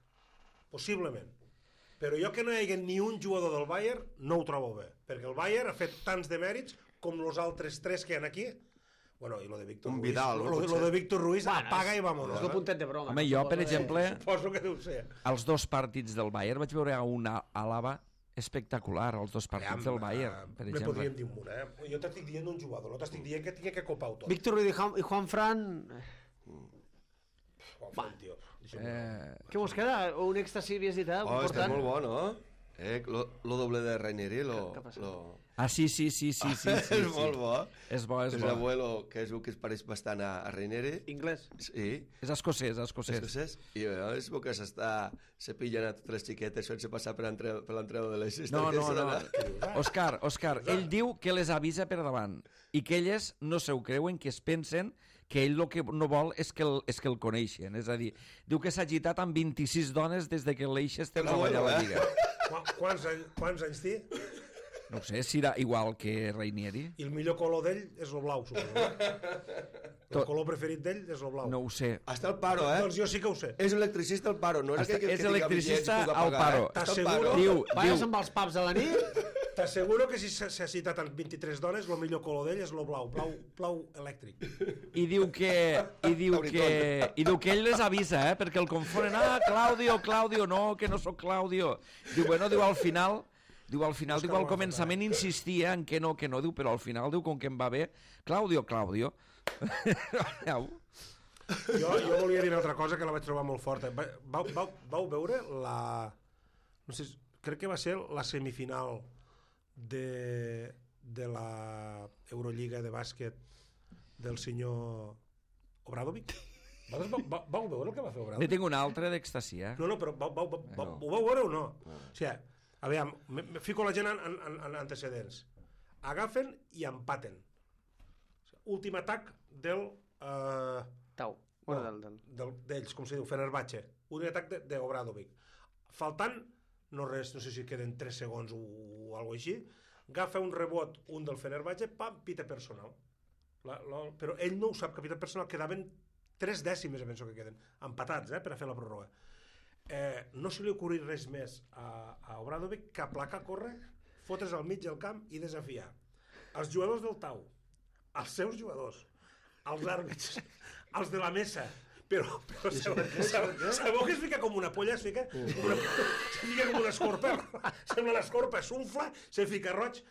Possiblement. Però jo que no hi hagi ni un jugador del Bayern no ho trobo bé, perquè el Bayern ha fet tants de mèrits com els altres 3 que hi ha aquí. Bueno, i lo de Víctor Ruiz. Vidal, lo de Víctor Ruiz apaga i vámonos. És el puntet de broma. Home, jo, per exemple, suposo que deu ser. Els 2 partits del Bayern vaig veure una Àlava espectacular, els 2 partits del Bayern, per exemple. Me podríem dir un, Jo t'estic dient un jugador, no t'estic dient que tingui que copar-ho tot. Víctor Ruiz i Juan Fran... Juan Fran, tio. Què vos queda? Un èxtasi, havies dit, Està molt bo, no? Lo doble de Ranieri, sí. És molt bo. És bo. És l'abuelo, que és un que es pareix bastant a Ranieri. Inglès? Sí. És escocès. I és bo que s'està cepillant a totes les xiquetes sense passar per l'entrada de les No. Òscar, ell diu que les avisa per davant i que elles no se ho creuen, que es pensen que ell el que no vol és que el coneixen. És a dir, diu que s'ha agitat amb 26 dones des que l'Eixes té treballar a la Lliga. Quants anys té? No sé, si era igual que Ranieri. I el millor color d'ell és el blau, suposo. El color preferit d'ell és el blau. No ho sé. Està al paro, Doncs jo sí que ho sé. És electricista al paro, no és aquell que és electricista al paro. T'asseguro... Vayas amb els pubs de la nit? T'asseguro que si s'ha citat amb 23 dones, el millor color d'ell és el blau, blau elèctric. I diu que ell les avisa, perquè el confonen. Claudio, no, que no sóc Claudio. Diu, al final, al començament insistia en que no, diu, però al final diu, com que em va bé, Claudio. Jo volia dir una altra cosa que la vaig trobar molt forta. Vau veure la... No sé, crec que va ser la semifinal de la Eurolliga de bàsquet del senyor Obradovic? Vau veure el que va fer Obradovic? Ne tinc una altra d'extasia. No, però ho vau veure o no? O sigui, aviam, me fico la gent en antecedents. Agafen i empaten. Últim atac del... Tau. D'ells, com se diu, Fenerbahce. Últim atac d'Obradovic. Faltant, no sé si queden 3 segons o alguna cosa així, agafa un rebot, un del Fenerbahce, pam, pita personal. Però ell no ho sap, que pita personal, quedaven 3 dècimes, penso que queden, empatats, per a fer la pròrroga. No se li ha ocorrit res més a Obradovic que aplacar, córrer, fotre's al mig del camp i desafiar els jugadors del Tau, els seus jugadors, els àrbitres, els de la mesa, però sabeu que es fica com una polla, es fica com una escorpa, sembla l'escorpa, s'unfla, se fica roig,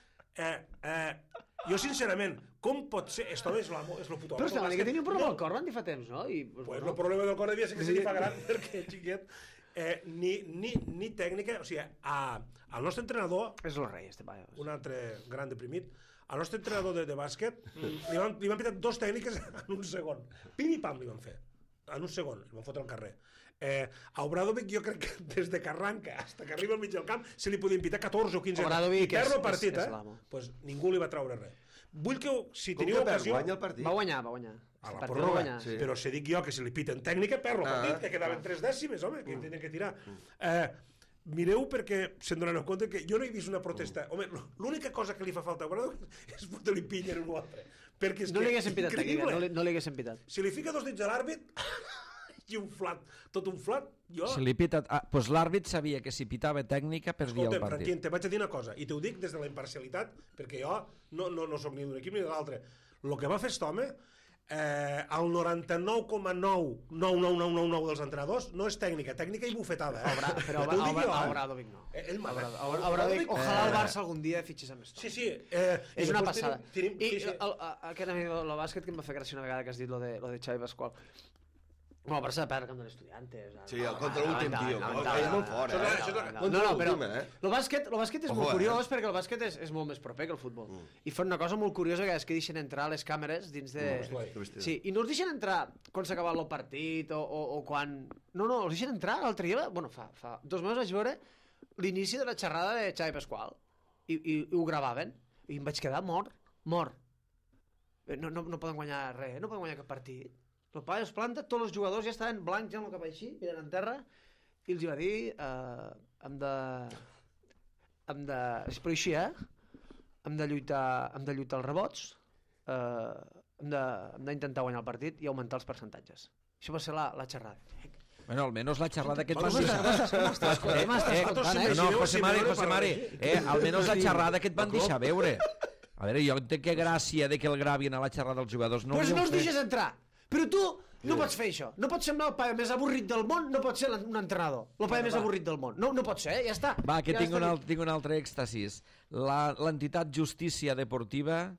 Jo, sincerament, com pot ser... Esto és l'amo, és lo puto amo. Però estava que tenia un problema al cor, van dir fa temps, no? Pues el problema del cor devia ser que se li fa gran, perquè, xiquet, ni tècnica... O sigui, al nostre entrenador... És el rei, este paio. Un altre gran deprimit. Al nostre entrenador de bàsquet li van pitar 2 tècniques en un segon. Pim i pam li van fer. En un segon, li van fotre al carrer. A Obradovic jo crec que des de que arranca fins que arriba al mig del camp se li podien pitar 14 o 15 Obradovic i perd el partit, és l'amo. Pues ningú li va treure res. Vull que, si Com teniu que perd? ocasió... Guanya el partit? Va guanyar. A la pròrroga, sí. però si dic jo que si li piten tècnica, perd el partit, que quedaven 3 dècimes, home, que tenien que tirar. Mireu perquè se'n donen compte que jo no he vist una protesta. Home, l'única cosa que li fa falta a Obradovic és fotre-li pinya en un altre. Perquè és No que li haguessin pitat tècnica, no li haguessin pitat. si li fica 2 dits a l'àrbit i un flat, tot un flat, jo... Si li pita... Doncs l'àrbit sabia que si pitava tècnica perdia el Escolta'm, partit. Franquín, te vaig a dir una cosa, i t'ho dic des de la imparcialitat, perquè jo no soc ni d'un equip ni de l'altre. El que va fer aquest home, el 99,99999 dels entrenadors no és tècnica i bufetada. Però Obradovic no. Ell mana. Obradovic, ojalà el Barça algun dia fitxés amb esto. Sí. És una passada. I Sí. aquest amic del bàsquet que em va fer gràcia una vegada que has dit lo de Xavi Pasqual. Bueno, el Barça de perdre el camp de l'Estudiantes. Sí, contra l'últim, tio. És molt fort, No, però el bàsquet és molt curiós perquè el bàsquet és molt més proper que el futbol. I fan una cosa molt curiosa que és que deixen entrar les càmeres dins de... Sí, i no els deixen entrar quan s'ha acabat el partit o quan... No, els deixen entrar l'altre dia, bueno, fa 2 mesos vaig veure l'inici de la xerrada de Xavi Pasqual i ho gravaven i em vaig quedar mort. No poden guanyar res, no poden guanyar cap partit. El paio es planta, tots els jugadors ja estaven blancs, ja amb el cap així, mirant en terra, i els va dir hem de... Però així, hem de lluitar els rebots, hem d'intentar guanyar el partit i augmentar els percentatges. Això va ser la xerrada. Bueno, almenys la xerrada que et van M'estàs escoltant, No, José Mari, almenys la xerrada que et van deixar veure. A veure, jo entenc que gràcia de que el gravin a la xerrada dels jugadors no doncs no els deixes entrar. Però tu no pots fer això. No pots semblar el paio més avorrit del món, no pots ser un entrenador. El paio més avorrit del món. No pot ser, ja està. Va, que tinc un altre èxtasis. L'entitat Justícia Deportiva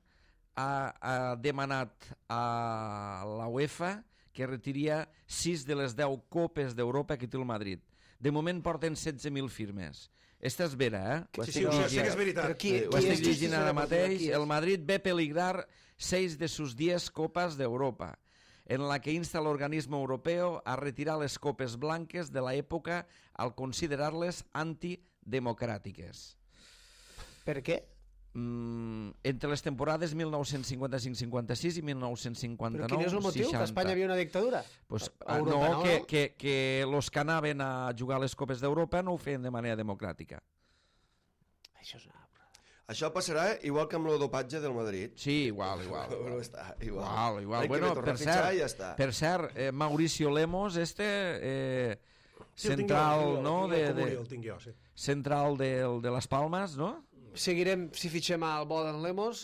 ha demanat a la UEFA que retiria 6 de les 10 copes d'Europa que té el Madrid. De moment porten 16.000 firmes. Esta és vera, Sí, ho sé que és veritat. Ho estic llegint ara mateix. El Madrid ve peligrar 6 de sus 10 copas de Europa, en la que insta al organismo europeo a retirar les copes blanques de la època al considerar-les antidemocràtiques. Per què? Entre les temporades 1955-56 i 1959-60. Però quin és el motiu? Que a Espanya havia una dictadura? Pues, no, que los que anaven a jugar a les copes d'Europa no ho feien de manera democràtica. Això és una... Això passarà igual que amb el dopatge del Madrid. Sí, igual. Igual. Bueno, per cert, Mauricio Lemos, central, no? El tinc jo, sí. Central de les Palmes, no? Seguirem, si fitxem al Boden Lemos,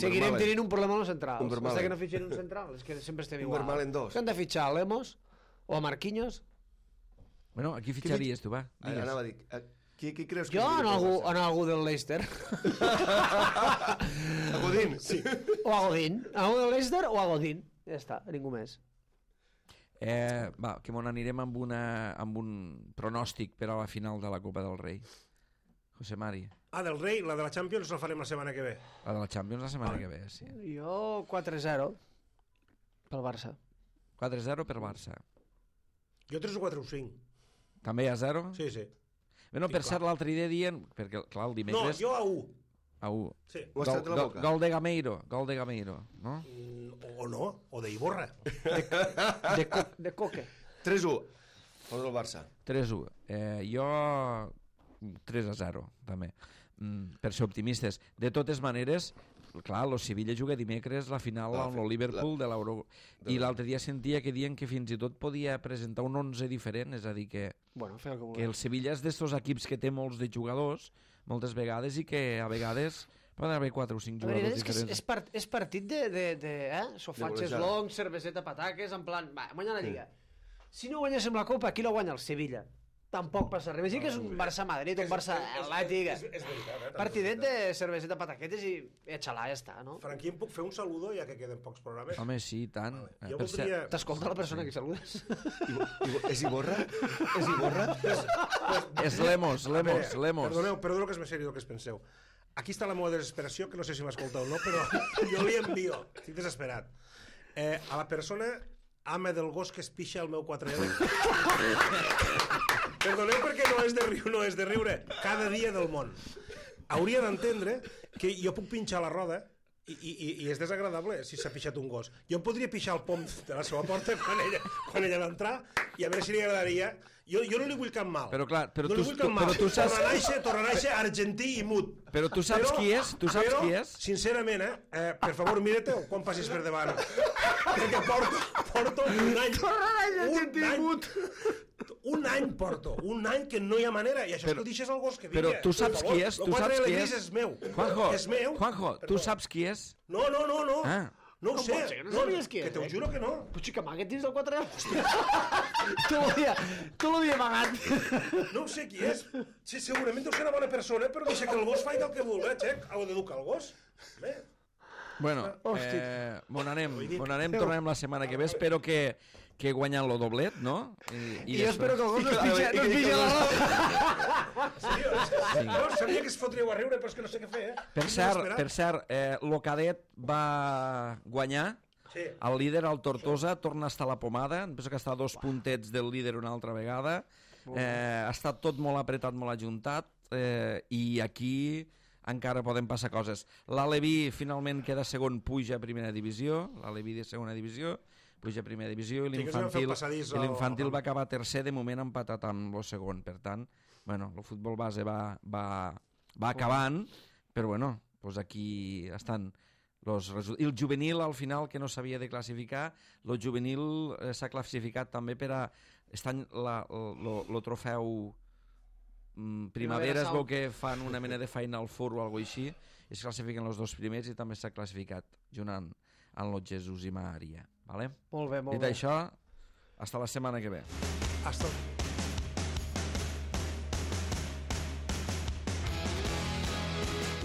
seguirem tenint un problema amb els centrals. Fins que no fitxem un central, és que sempre estem igual. Vermaelen 2. Que han de fitxar a Lemos o a Marquinhos. Bueno, aquí fitxaries tu, va. Anava a dir, qui creus que... Jo en algú del Leicester. A Godín, sí. O a Godín. En algú del Leicester o a Godín. Ja està, ningú més. Va, que m'on anirem amb un pronòstic per a la final de la Copa del Rei. José Mari. Del Rei, la de la Champions la farem la setmana que ve. La de la Champions la setmana que ve, sí. Jo 4-0 pel Barça. 4-0 per Barça. Jo 3 o 4 o 5. També hi ha 0? Sí. Bueno, per cert, l'altre dia dient... Perquè, clar, el dimecres... No, jo a 1. A 1. Sí. Gol de Gameiro, no? O no, o de Iborra. De Coque. 3-1. O del Barça. 3-1. Jo 3-0, també. Per ser optimistes. De totes maneres, clar, el Sevilla juga dimecres la final amb el Liverpool de l'Euro. I l'altre dia sentia que diuen que fins i tot podia presentar un 11 diferent, és a dir, que el Sevilla és d'estos equips que té molts de jugadors, moltes vegades, i que a vegades poden haver 4 o 5 jugadors diferents. És partit de sofatges longs, cerveseta, pataques, en plan, va, guanya la Lliga. Si no guanyéssim la Copa, qui la guanya? El Sevilla. tampoc passa res. Imagina que és un Barça-Madrid, un Barça-Atlètic. És veritat, Partidet de cerveseta, pataquetes i xalà, ja està, no? Franqui, em puc fer un saludo, ja que queden pocs programes? Home, sí, tant. Jo voldria... T'escolta la persona que saludes? És Iborra? És Iborra? És Lemos. Perdoneu que és més seriós del que es penseu. Aquí està la meva desesperació, que no sé si m'escolta o no, però jo li envio. Estic desesperat. A la persona ama del gos que es pixa al meu 4L. Perdoneu perquè no és de riure. Cada dia del món. Hauria d'entendre que jo puc pinxar la roda i és desagradable si s'ha pixat un gos. Jo em podria pixar el pom de la seva porta quan ella va entrar i a veure si li agradaria. Jo no li vull cap mal. Però clar, no li vull cap mal. Torna a néixer argentí i mut. Però tu saps qui és? Tu saps qui és? Sincerament, per favor, mira-te quan passis per davant. Perquè porto un any. Torna a néixer argentí i mut. Un any que no hi ha manera, i això és que ho deixes al gos que vingui. Però tu saps qui és? Tu saps qui és? És meu. Juanjo, tu saps qui és? No. Ah. No ho sé. pot ser que no sabies qui és, Que t'ho juro que no. Però xica, amaguet dins del 4L. Tu l'havia amagat. No ho sé qui és. Sí, segurament deu ser una bona persona, però deixa que el gos faci el que vulgui, xec. Hau d'educar el gos. Bé. Bueno, bon anem, tornarem la setmana que ve. Espero que guanyen lo doblet, no? I jo espero que el gos no es pitja la roda. Jo sabia que es fotríeu a riure, però és que no sé què fer, Per cert, lo cadet va guanyar. Sí. El líder, el Tortosa, torna a estar a la pomada. Em penso que està a 2 puntets del líder una altra vegada. Ha estat tot molt apretat, molt ajuntat. I aquí encara poden passar coses. L'Aleví finalment queda segon, puja a primera divisió. L'Aleví de segona divisió puja a primera divisió i l'Infantil va acabar tercer, de moment empatat amb el segon. Per tant, bueno, el futbol base va acabant, però bueno, doncs aquí estan los resultats. I el juvenil, al final, que no s'havia de classificar, el juvenil s'ha classificat també per a... Estan el trofeu primavera, es veu que fan una mena de feina al fur o alguna cosa així, i es classifiquen els 2 primers i també s'ha classificat junt amb el Jesús i Maria. Vale? Molt bé, molt bé. Dit això, hasta la setmana que ve. Hasta...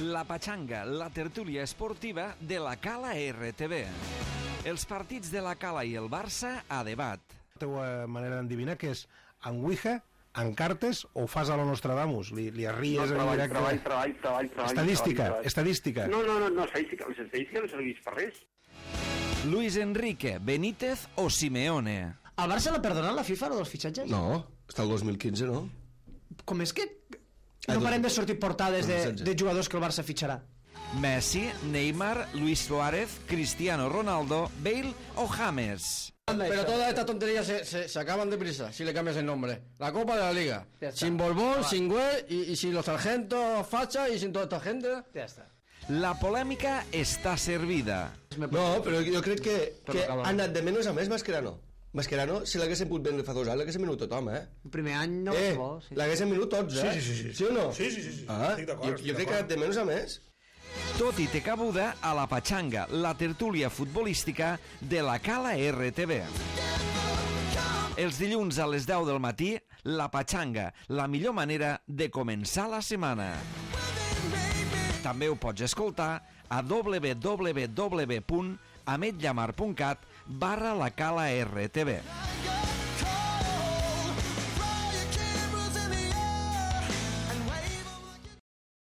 La Pachanga, la tertúlia esportiva de la Cala RTV. Els partits de la Cala i el Barça a debat. La teva manera d'endevinar que és en Ouija, en cartes o ho fas a lo Nostradamus? Li arries en directe? Treball. Estadística. No, les estadístiques no serveix per res. Luis Enrique, Benítez o Simeone? El Barça l'ha perdonat la FIFA, lo dels fitxatges? No, està el 2015, no? Com és que no parem de sortir portades de jugadors que el Barça fitxarà? Messi, Neymar, Luis Suárez, Cristiano Ronaldo, Bale o James? Pero todas estas tonterías se acaban deprisa si le cambias el nombre. La Copa de la Liga. Sin Borbón, sin Güell y sin los sargentos Facha y sin toda esta gente. Ja està. La polèmica està servida. No, però jo crec que ha anat de menys a més Mascherano. Mascherano, si l'haguessin pogut vendre fa 2 anys, l'haguessin venut tothom, El primer any no és bo. L'haguessin venut tots, Sí. Sí o no? Sí. Estic d'acord. Jo crec que ha anat de menys a més. Tot i té cabuda a la Pachanga, la tertúlia futbolística de la Cala RTV. Els dilluns a les 10 del matí, la Pachanga, la millor manera de començar la setmana. També ho pots escoltar a www.ametllamar.cat/la Cala RTV.